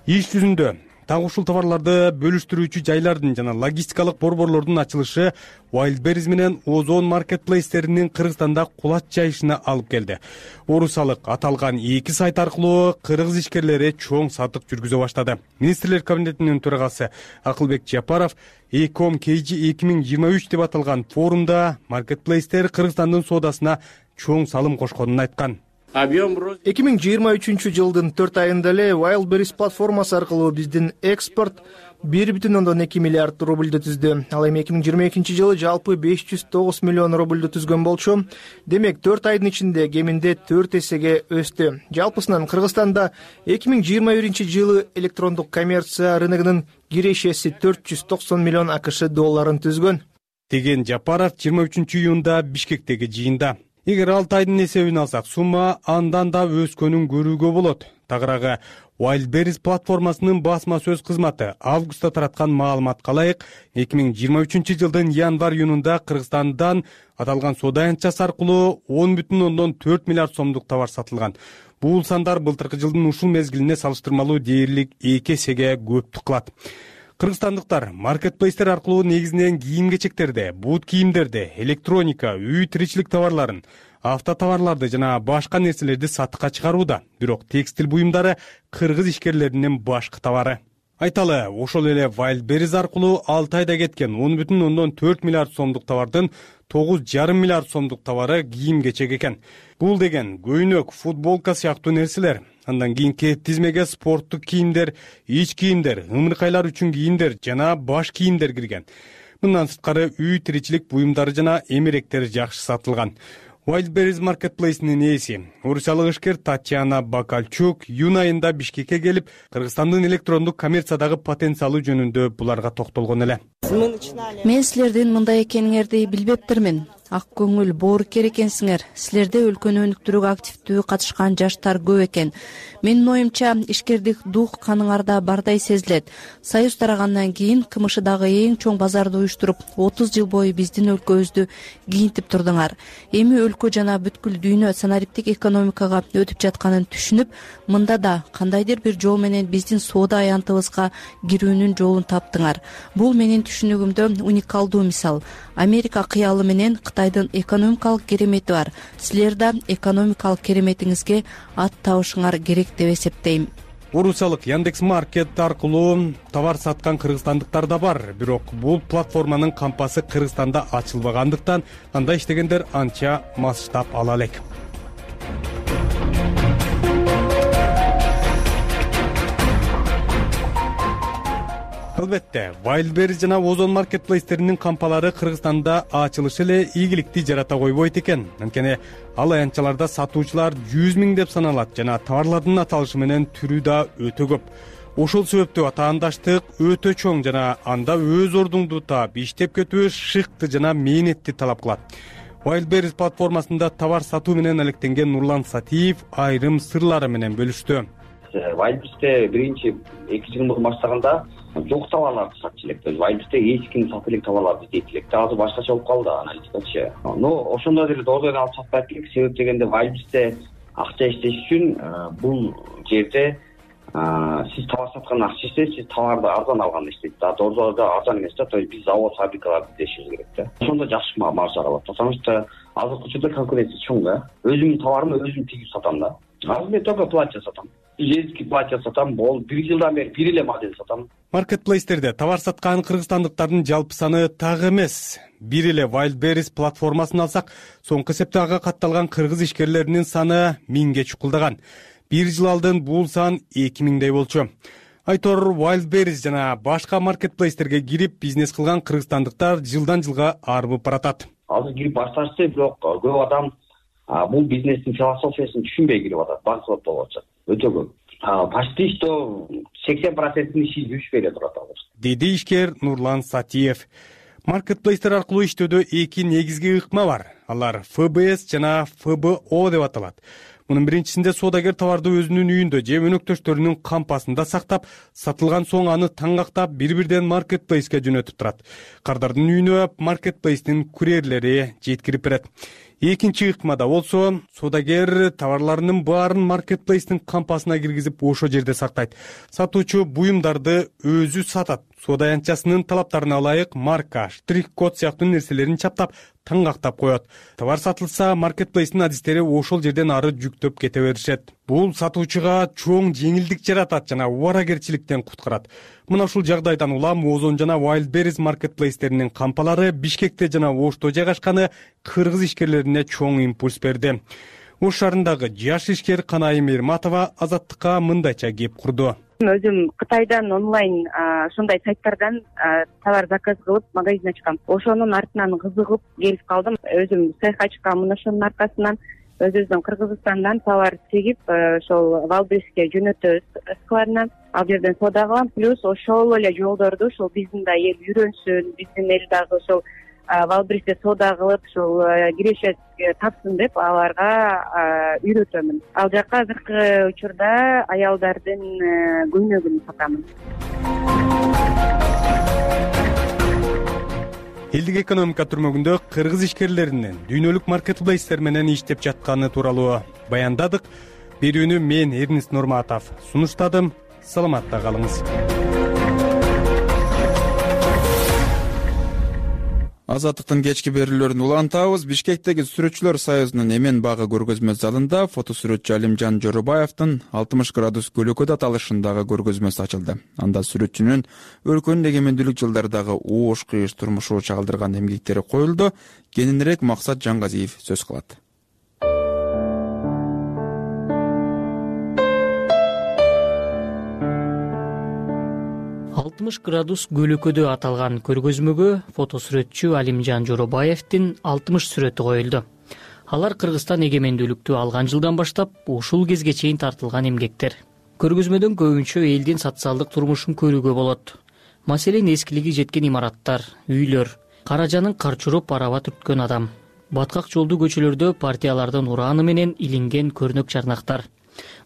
Иш жүзүндө так ушул товарларды бөлүштүрүүчү жайлардын жана логистикалык борборлордун ачылышы Wildberries менен Озон маркетплейстеринин Кыргызстанда кулач жайышына алып келди. Орусиялык аталган эки сайт аркылуу кыргыз ишкерлери чоң сатык жүргүзө баштады. Министрлер кабинетинин төрагасы Акылбек Жапаров Эком Кейжи эки миң жыйырма үч деп аталган форумда маркетплейстер Кыргызстандын соодасына чоң салым кошконун айткан. эки миң жыйырма үчүнчү жылдын төрт айында эле Wildberries платформасы аркылуу биздин экспорт бир бүтүн ондон эки миллиард рубльду түздү. Ал эми эки миң жыйырма экинчи жылы жалпы беш жүз тогуз миллион рубльду түзгөн болчу. Демек төрт айдын ичинде кеминде төрт эсеге өстү. Жалпысынан Кыргызстанда эки миң жыйырма биринчи жылы электрондук коммерция рыногунун кирешеси төрт жүз токсон миллион АКШ долларын түзгөн, деген Жапаров жыйырма үчүнчү июнда Бишкектеги жыйында. Эгер алты айдын эсебин алсак, сумма андан да өскөнүн көрүүгө болот. Тагыраагы Wildberries платформасынын басма сөз кызматы августта тараткан маалыматка ылайык эки миң жыйырма үчүнчү жылдын январь-июнунда Кыргызстандан аталган соода аянтчасы аркылуу он бүтүн ондон төрт миллиард сомдук товар сатылган. Бул сандар былтыркы жылдын ушул мезгилине салыштырмалуу дээрлик эки эсеге көптүк кылат. Кыргызстандыктар маркетплейстер аркылуу негизинен кийим-кечектерди, бут кийимдерди, электроника, үй тиричилик товарларын, автотоварларды жана башка нерселерди сатыкка чыгарууда. Бирок текстиль буюмдары кыргыз ишкерлеринин башкы товары. Айталы, ошол эле Wildberries аркылуу алты айда кеткен он бүтүн ондон төрт миллиард сомдук товардын тогуз жарым миллиард сомдук товары кийим-кечек экен. Бул деген көйнөк, футболка сыяктуу нерселер. Андан кийинки тизмеге спорттук кийимдер, ич кийимдер, ымыркайлар үчүн кийимдер жана баш кийимдер кирген. Мындан сырткары үй тиричилик буюмдары жана эмеректер жакшы сатылган. Wildberries маркетплейсинин ээси, орусиялык ишкер Татьяна Бакальчук июнь айында Бишкекке келип, Кыргызстандын электрондук коммерциядагы потенциалы жөнүндө буларга токтолгон эле. Мен силердин мындай экениңерди билбептирмин. Ак көңүл, боорукер экенсиңер. Силерде өлкөнү өнүктүрүүгө активдүү катышкан жаштар көп экен. Менин оюмча, ишкердик дух каныңарда бардай сезилет. Союз тарагандан кийин КМШдагы эң чоң базарды уюштуруп, отуз жыл бою биздин өлкөбүздү кийинтип турдуңар. Эми өлкө жана бүткүл дүйнө санариптик экономикага өтүп жатканын түшүнүп, мында да кандайдыр бир жол менен биздин соода аянтыбызга кирүүнүн жолун таптыңар. Бул менин түшүнүгүмдө уникалдуу мисал. Америка кыялы менен Кытайдын экономикалык керемети бар. Силер да экономикалык кереметиңизге ат табышыңар керек деп эсептейм. Орусиялык Яндекс.Маркет аркылуу товар саткан кыргызстандыктар да бар. Бирок бул платформанын кампасы Кыргызстанда ачылбагандыктан анда иштегендер анча масштаб ала элек. Албетте, Wildberries жана Ozon маркетплейстеринин кампалары Кыргызстанда ачылышы эле ийгиликти жарата койбойт экен. Анткени ал аянтчаларда сатуучулар жүз миң деп саналат жана товарлардын аталышы менен түрү да өтө көп. Ошол себептүү атаандаштык өтө чоң жана анда өз ордуңду таап, иштеп кетүү шыкты жана мээнетти талап кылат. Wildberries платформасында товар сатуу менен алектенген Нурлан Сатиев айрым сырлары менен бөлүштү. Wildberries'te биринчи эки жыл мурун баштаганда жок товарларды сатчу элек. Wildberries'te эч ким сата элек товарларды издейт элек. Азыр башкача болуп калды аналитикачы. Но ошондо деле дордойдон алып сатпайт элек. Себеп дегенде Wildberries'te акча иштеш үчүн бул жерде сиз товар саткан акча иштейт, сиз товарды арзан алганда иштейт. Да дордойдо арзан эмес да, то есть биз завод, фабрикаларды издешибиз керек да. Ошондо жакшы маржа алат. Потому что азыркы учурда конкуренция чоң да. Өзүмдүн товарымды өзүм тигип сатам да. Азыр мен только платье сатам. Женский платье сатам, бол бир жылдан бери бир эле модель сатам. Маркетплейстерде товар саткан кыргызстандыктардын жалпы саны так эмес. Бир эле Wildberries платформасын алсак, соңку эсепте ага катталган кыргыз ишкерлеринин саны миңге чукулдаган. Бир жыл алдын бул сан эки миңдей болчу. Айтор Wildberries жана башка маркетплейстерге кирип бизнес кылган кыргызстандыктар жылдан жылга арбып баратат. Азыр кирип башташты, бирок көп адам бул бизнестин философиясын түшүнбөй кирип атат, банкрот болуп атат. Өтө көп. Почти что сексен проценттин иши жүрүшпөй эле турат азыр. Деди ишкер Нурлан Сатиев. Маркетплейстер аркылуу иштөөдө эки негизги ыкма бар. Алар эф бэ эс жана эф бэ о деп аталат. Мунун биринчисинде соодагер товарды өзүнүн үйүндө же өнөктөштөрүнүн кампасында сактап, сатылган соң аны таңгактап бир-бирден маркетплейске жөнөтүп турат. Кардардын үйүнө маркетплейстин курьерлери жеткирип берет. Экинчи ыкмада болсо, соодагер товарларынын баарын маркетплейстин кампасына киргизип ошо жерде сактайт. Сатуучу буюмдарды өзү сатат. Соода аянтчасынын талаптарына ылайык марка, штрих-код сыяктуу нерселерин чаптап, таңгактап коет. Товар сатылса, маркетплейстин адистери ошол жерден ары жүктөп кете беришет. Бул сатуучуга чоң жеңилдик жаратат жана убаракерчиликтен куткарат. Мына ушул жагдайдан улам Ozon жана Wildberries маркетплейстеринин кампалары Бишкекте жана Ошто жайгашканы кыргыз ишкерлерине чоң импульс берди. Ош шаарындагы жаш ишкер Канайым Эрматова Азаттыкка мындайча кеп курду. Өзүм Кытайдан онлайн ушундай сайттардан товар заказ кылып магазин ачкам. Ошонун артынан кызыгып келип калдым. Өзүм цех ачкам, мына ошонун аркасынан өзүбүздүн Кыргызстандан товар тигип, ошол Wildberries'ке жөнөтөбүз складынан. Ал жерден соода кылам, плюс ошол эле жолдорду ошол биздин да эл үйрөнсүн, биздин эл дагы ошол валбристе соода кылып ушул кирешет тапсын деп аларга үйрөтөмүн. Ал жакка азыркы учурда аялдардын көйнөгүн сатамын. Элдик экономика түрмөгүндө кыргыз ишкерлеринин дүйнөлүк маркетплейстер менен иштеп жатканы тууралуу баяндадык. Берүүнү мен Эрнест Нурматов сунуштадым. Саламатта калыңыз. Азаттыктын кечки берүүлөрүн улантабыз. Бишкектеги сүрөтчүлөр союзунун эмен багы көргөзмө залында фотосүрөтчү Алимжан Жоробаевдин алтымыш градус көлөкөдө аталышындагы көргөзмөсү ачылды. Анда сүрөтчүнүн өлкөнүн эгемендүүлүк жылдардагы оош кыйыш турмушу чагылдырган эмгектери коюлду. Кененирээк Максат Жаңгазиев сөз кылат. алтымыш градус көлөкөдө аталган көргөзмөгө фотосүрөтчү Алимжан Жоробаевдин алтымыш сүрөтү коюлду. Алар Кыргызстан эгемендүүлүктү алган жылдан баштап ушул кезге чейин тартылган эмгектер. Көргөзмөдөн көбүнчө элдин социалдык турмушун көрүүгө болот. Маселен, эскилиги жеткен имараттар, үйлөр, каражанын карчуруп араба түрткөн адам, баткак жолдуу көчөлөрдө партиялардын урааны менен илинген көрнөк чарнактар.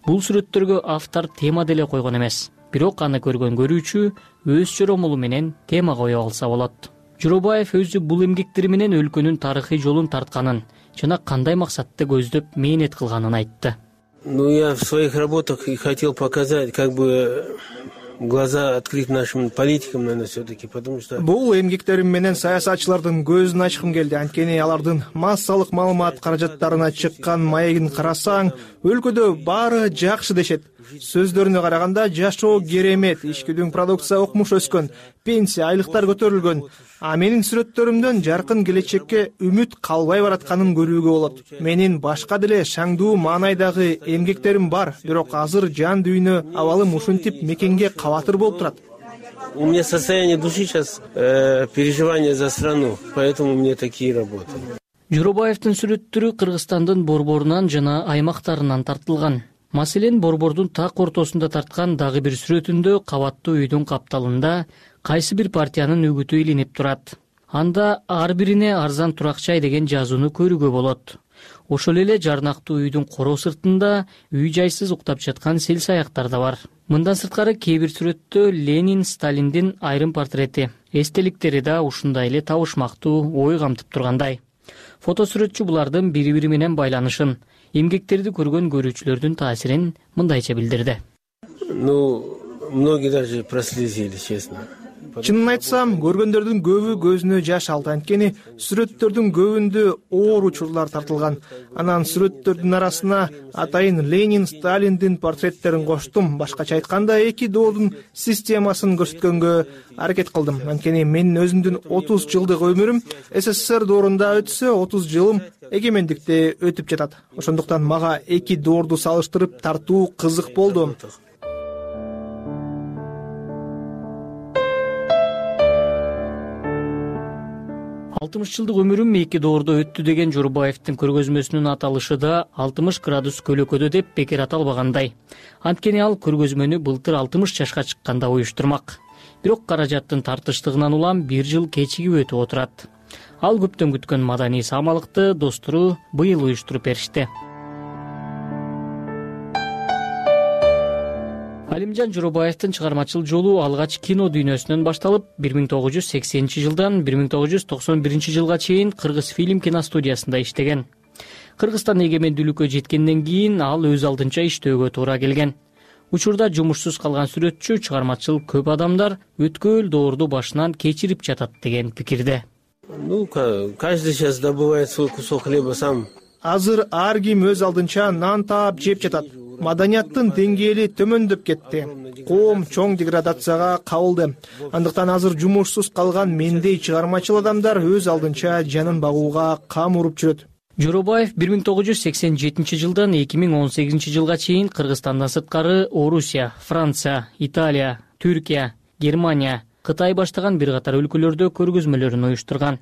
Бул сүрөттөргө автор тема деле койгон эмес. Бирок аны көргөн көрүүчү өз жоромолу менен тема кое алса болот. Жоробаев өзү бул эмгектери менен өлкөнүн тарыхый жолун тартканын жана кандай максатты көздөп мээнет кылганын айтты. Ну, я в своих работах и хотел показать, как бы глаза открыть нашим политикам, наверное, все-таки, потому что... Бул эмгектерим менен саясатчылардын көзүн ачкым келди. Анткени алардын массалык маалымат каражаттарына чыккан маегин карасаң, өлкөдө баары жакшы дешет. Сөздөрүнө караганда жашоо керемет, ичкидүң продукция окмуш өскөн, пенсия, айлыктар көтөрүлгөн. А менин сүрөттөрүмдөн жаркын келечекке үмүт калбай баратканын көрүүгө болот. Менин башка деле шаңдуу маанайдагы эмгектерим бар, бирок азыр жан дүйнө абалым ушинтип мекенге кабатыр болуп турат. У меня состояние души сейчас э, переживания за страну, поэтому у меня такие работы. Жоробаевдин сүрөттөрү Кыргызстандын борборунан жана аймактарынан тартылган. Маселен, борбордун так ортосунда тарткан дагы бир сүрөтүндө кабаттуу үйдүн капталында кайсы бир партиянын үгүтү илинип турат. Анда ар бирине арзан турак-жай деген жазууну көрүүгө болот. Ошол эле жарнактуу үйдүн короо сыртында үй жайсыз уктап жаткан сел саяктар да бар. Мындан сырткары кээ бир сүрөттө Ленин, Сталиндин айрым портрети, эстеликтери да ушундай эле табышмактуу ой камтып тургандай. Фотосүрөтчү булардын бири-бири менен байланышын, эмгектерди көргөн көрүүчүлөрдүн таасирин мындайча билдирди. Ну, многие даже прослезились, честно. Чынын айтсам, көргөндөрдүн көбү көзүнө жаш алды. Анткени сүрөттөрдүн көбүндө оор учурлар тартылган. Анан сүрөттөрдүн арасына атайын Ленин, Сталиндин портреттерин коштум. Башкача айтканда, эки доордун системасын көрсөткөнгө аракет кылдым. Анткени менин өзүмдүн отуз жылдык өмүрүм СССР доорунда өтсө, отуз жылым эгемендикте өтүп жатат. Ошондуктан мага эки доорду салыштырып тартуу кызык болду. алтымыш жылдык өмүрүм эки доордо өттү деген Жоробаевдин көргөзмөсүнүн аталышы да алтымыш градус көлөкөдө деп бекер аталбагандай. Анткени ал көргөзмөнү былтыр алтымыш жашка чыкканда уюштурмак. Бирок каражаттын тартыштыгынан улам бир жыл кечигип өтүп отурат. Ал көптөн күткөн маданий саамалыкты достору быйыл уюштуруп беришти. Алимжан Жоробаевдин чыгармачыл жолу алгач кино дүйнөсүнөн башталып, бир миң тогуз жүз сексенинчи жылдан бир миң тогуз жүз токсон биринчи жылга чейин Кыргыз фильм киностудиясында иштеген. Кыргызстан эгемендүүлүккө жеткенден кийин ал өз алдынча иштөөгө туура келген. Учурда жумушсуз калган сүрөтчү, чыгармачыл көп адамдар өткөл доорду башынан кечирип жатат деген пикирде. Ну, каждый сейчас добывает свой кусок хлеба сам. Азыр ар ким өз алдынча нан таап жеп жатат. Маданияттын деңгээли төмөндөп кетти. Коом чоң деградацияга кабылды. Андыктан азыр жумушсуз калган мендей чыгармачыл адамдар өз алдынча жанын багууга кам уруп жүрөт. Жоробаев бир миң тогуз жүз сексен жетинчи жылдан эки миң он сегизинчи жылга чейин Кыргызстандан сырткары Орусия, Франция, Италия, Түркия, Германия, Кытай баштаган бир катар өлкөлөрдө көргөзмөлөрүн уюштурган.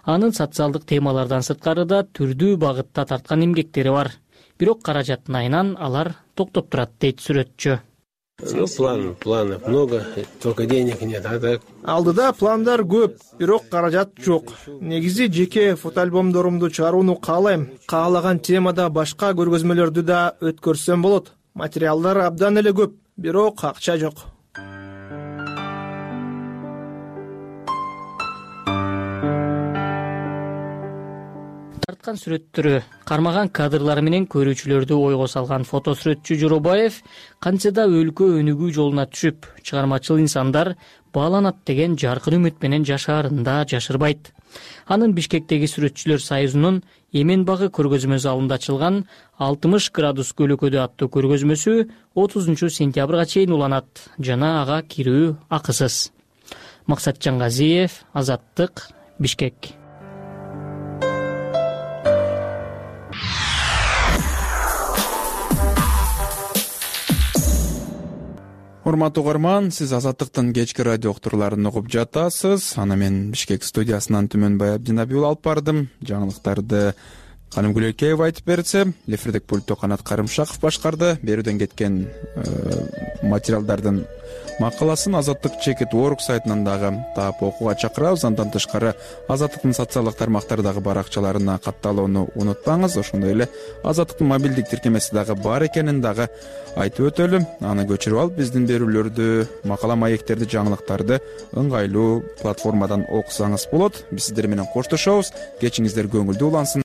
Анын социалдык темалардан сырткары да түрдүү багытта тарткан эмгектери бар. Бирок каражаттын айынан алар токтоп турат, дейт сүрөтчү. Ну, план, планов много, только денег нет, а так. Алдыда пландар көп, бирок каражат жок. Негизи жеке фотоальбомдорумду чыгарууну каалайм. Каалаган темада башка көргөзмөлөрдү да өткөрсөм болот. Материалдар абдан эле көп, бирок акча жок. Тарткан сүрөттөрү, кармаган кадрлары менен көрүүчүлөрдү ойго салган фотосүрөтчү Жоробаев кантсе да өлкө өнүгүү жолуна түшүп, чыгармачыл инсандар бааланат деген жаркын үмүт менен жашаарын да жашырбайт. Анын Бишкектеги сүрөтчүлөр союзунун Эмен багы көргөзмө залында ачылган алтымыш градус көлөкөдө аттуу көргөзмөсү отузунчу сентябрга чейин уланат жана ага кирүү акысыз. Максатжан Газиев, Азаттык, Бишкек. Урматтуу угарман, сиз Азаттыктын кечки радио уктурууларын угуп жатасыз. Аны мен Бишкек студиясынан Түмөнбай Абдинабиул алып бардым. Жаңылыктарды Канымгүл Элкеева айтып берсе, эфирдик пультту Канат Карымшаков башкарды. Берүүдөн кеткен материалдардын макаласын Азаттык Чекит Орг сайтынан дагы таап окууга чакырабыз. Андан тышкары Азаттыктын социалдык тармактардагы баракчаларына катталууну унутпаңыз. Ошондой эле Азаттыктын мобилдик тиркемеси дагы бар экенин дагы айтып өтөлү. Аны көчүрүп алып, биздин берүүлөрдү, макала маектерди, жаңылыктарды ыңгайлуу платформадан окусаңыз болот. Биз сиздер менен коштошобуз. Кечиңиздер көңүлдүү улансын.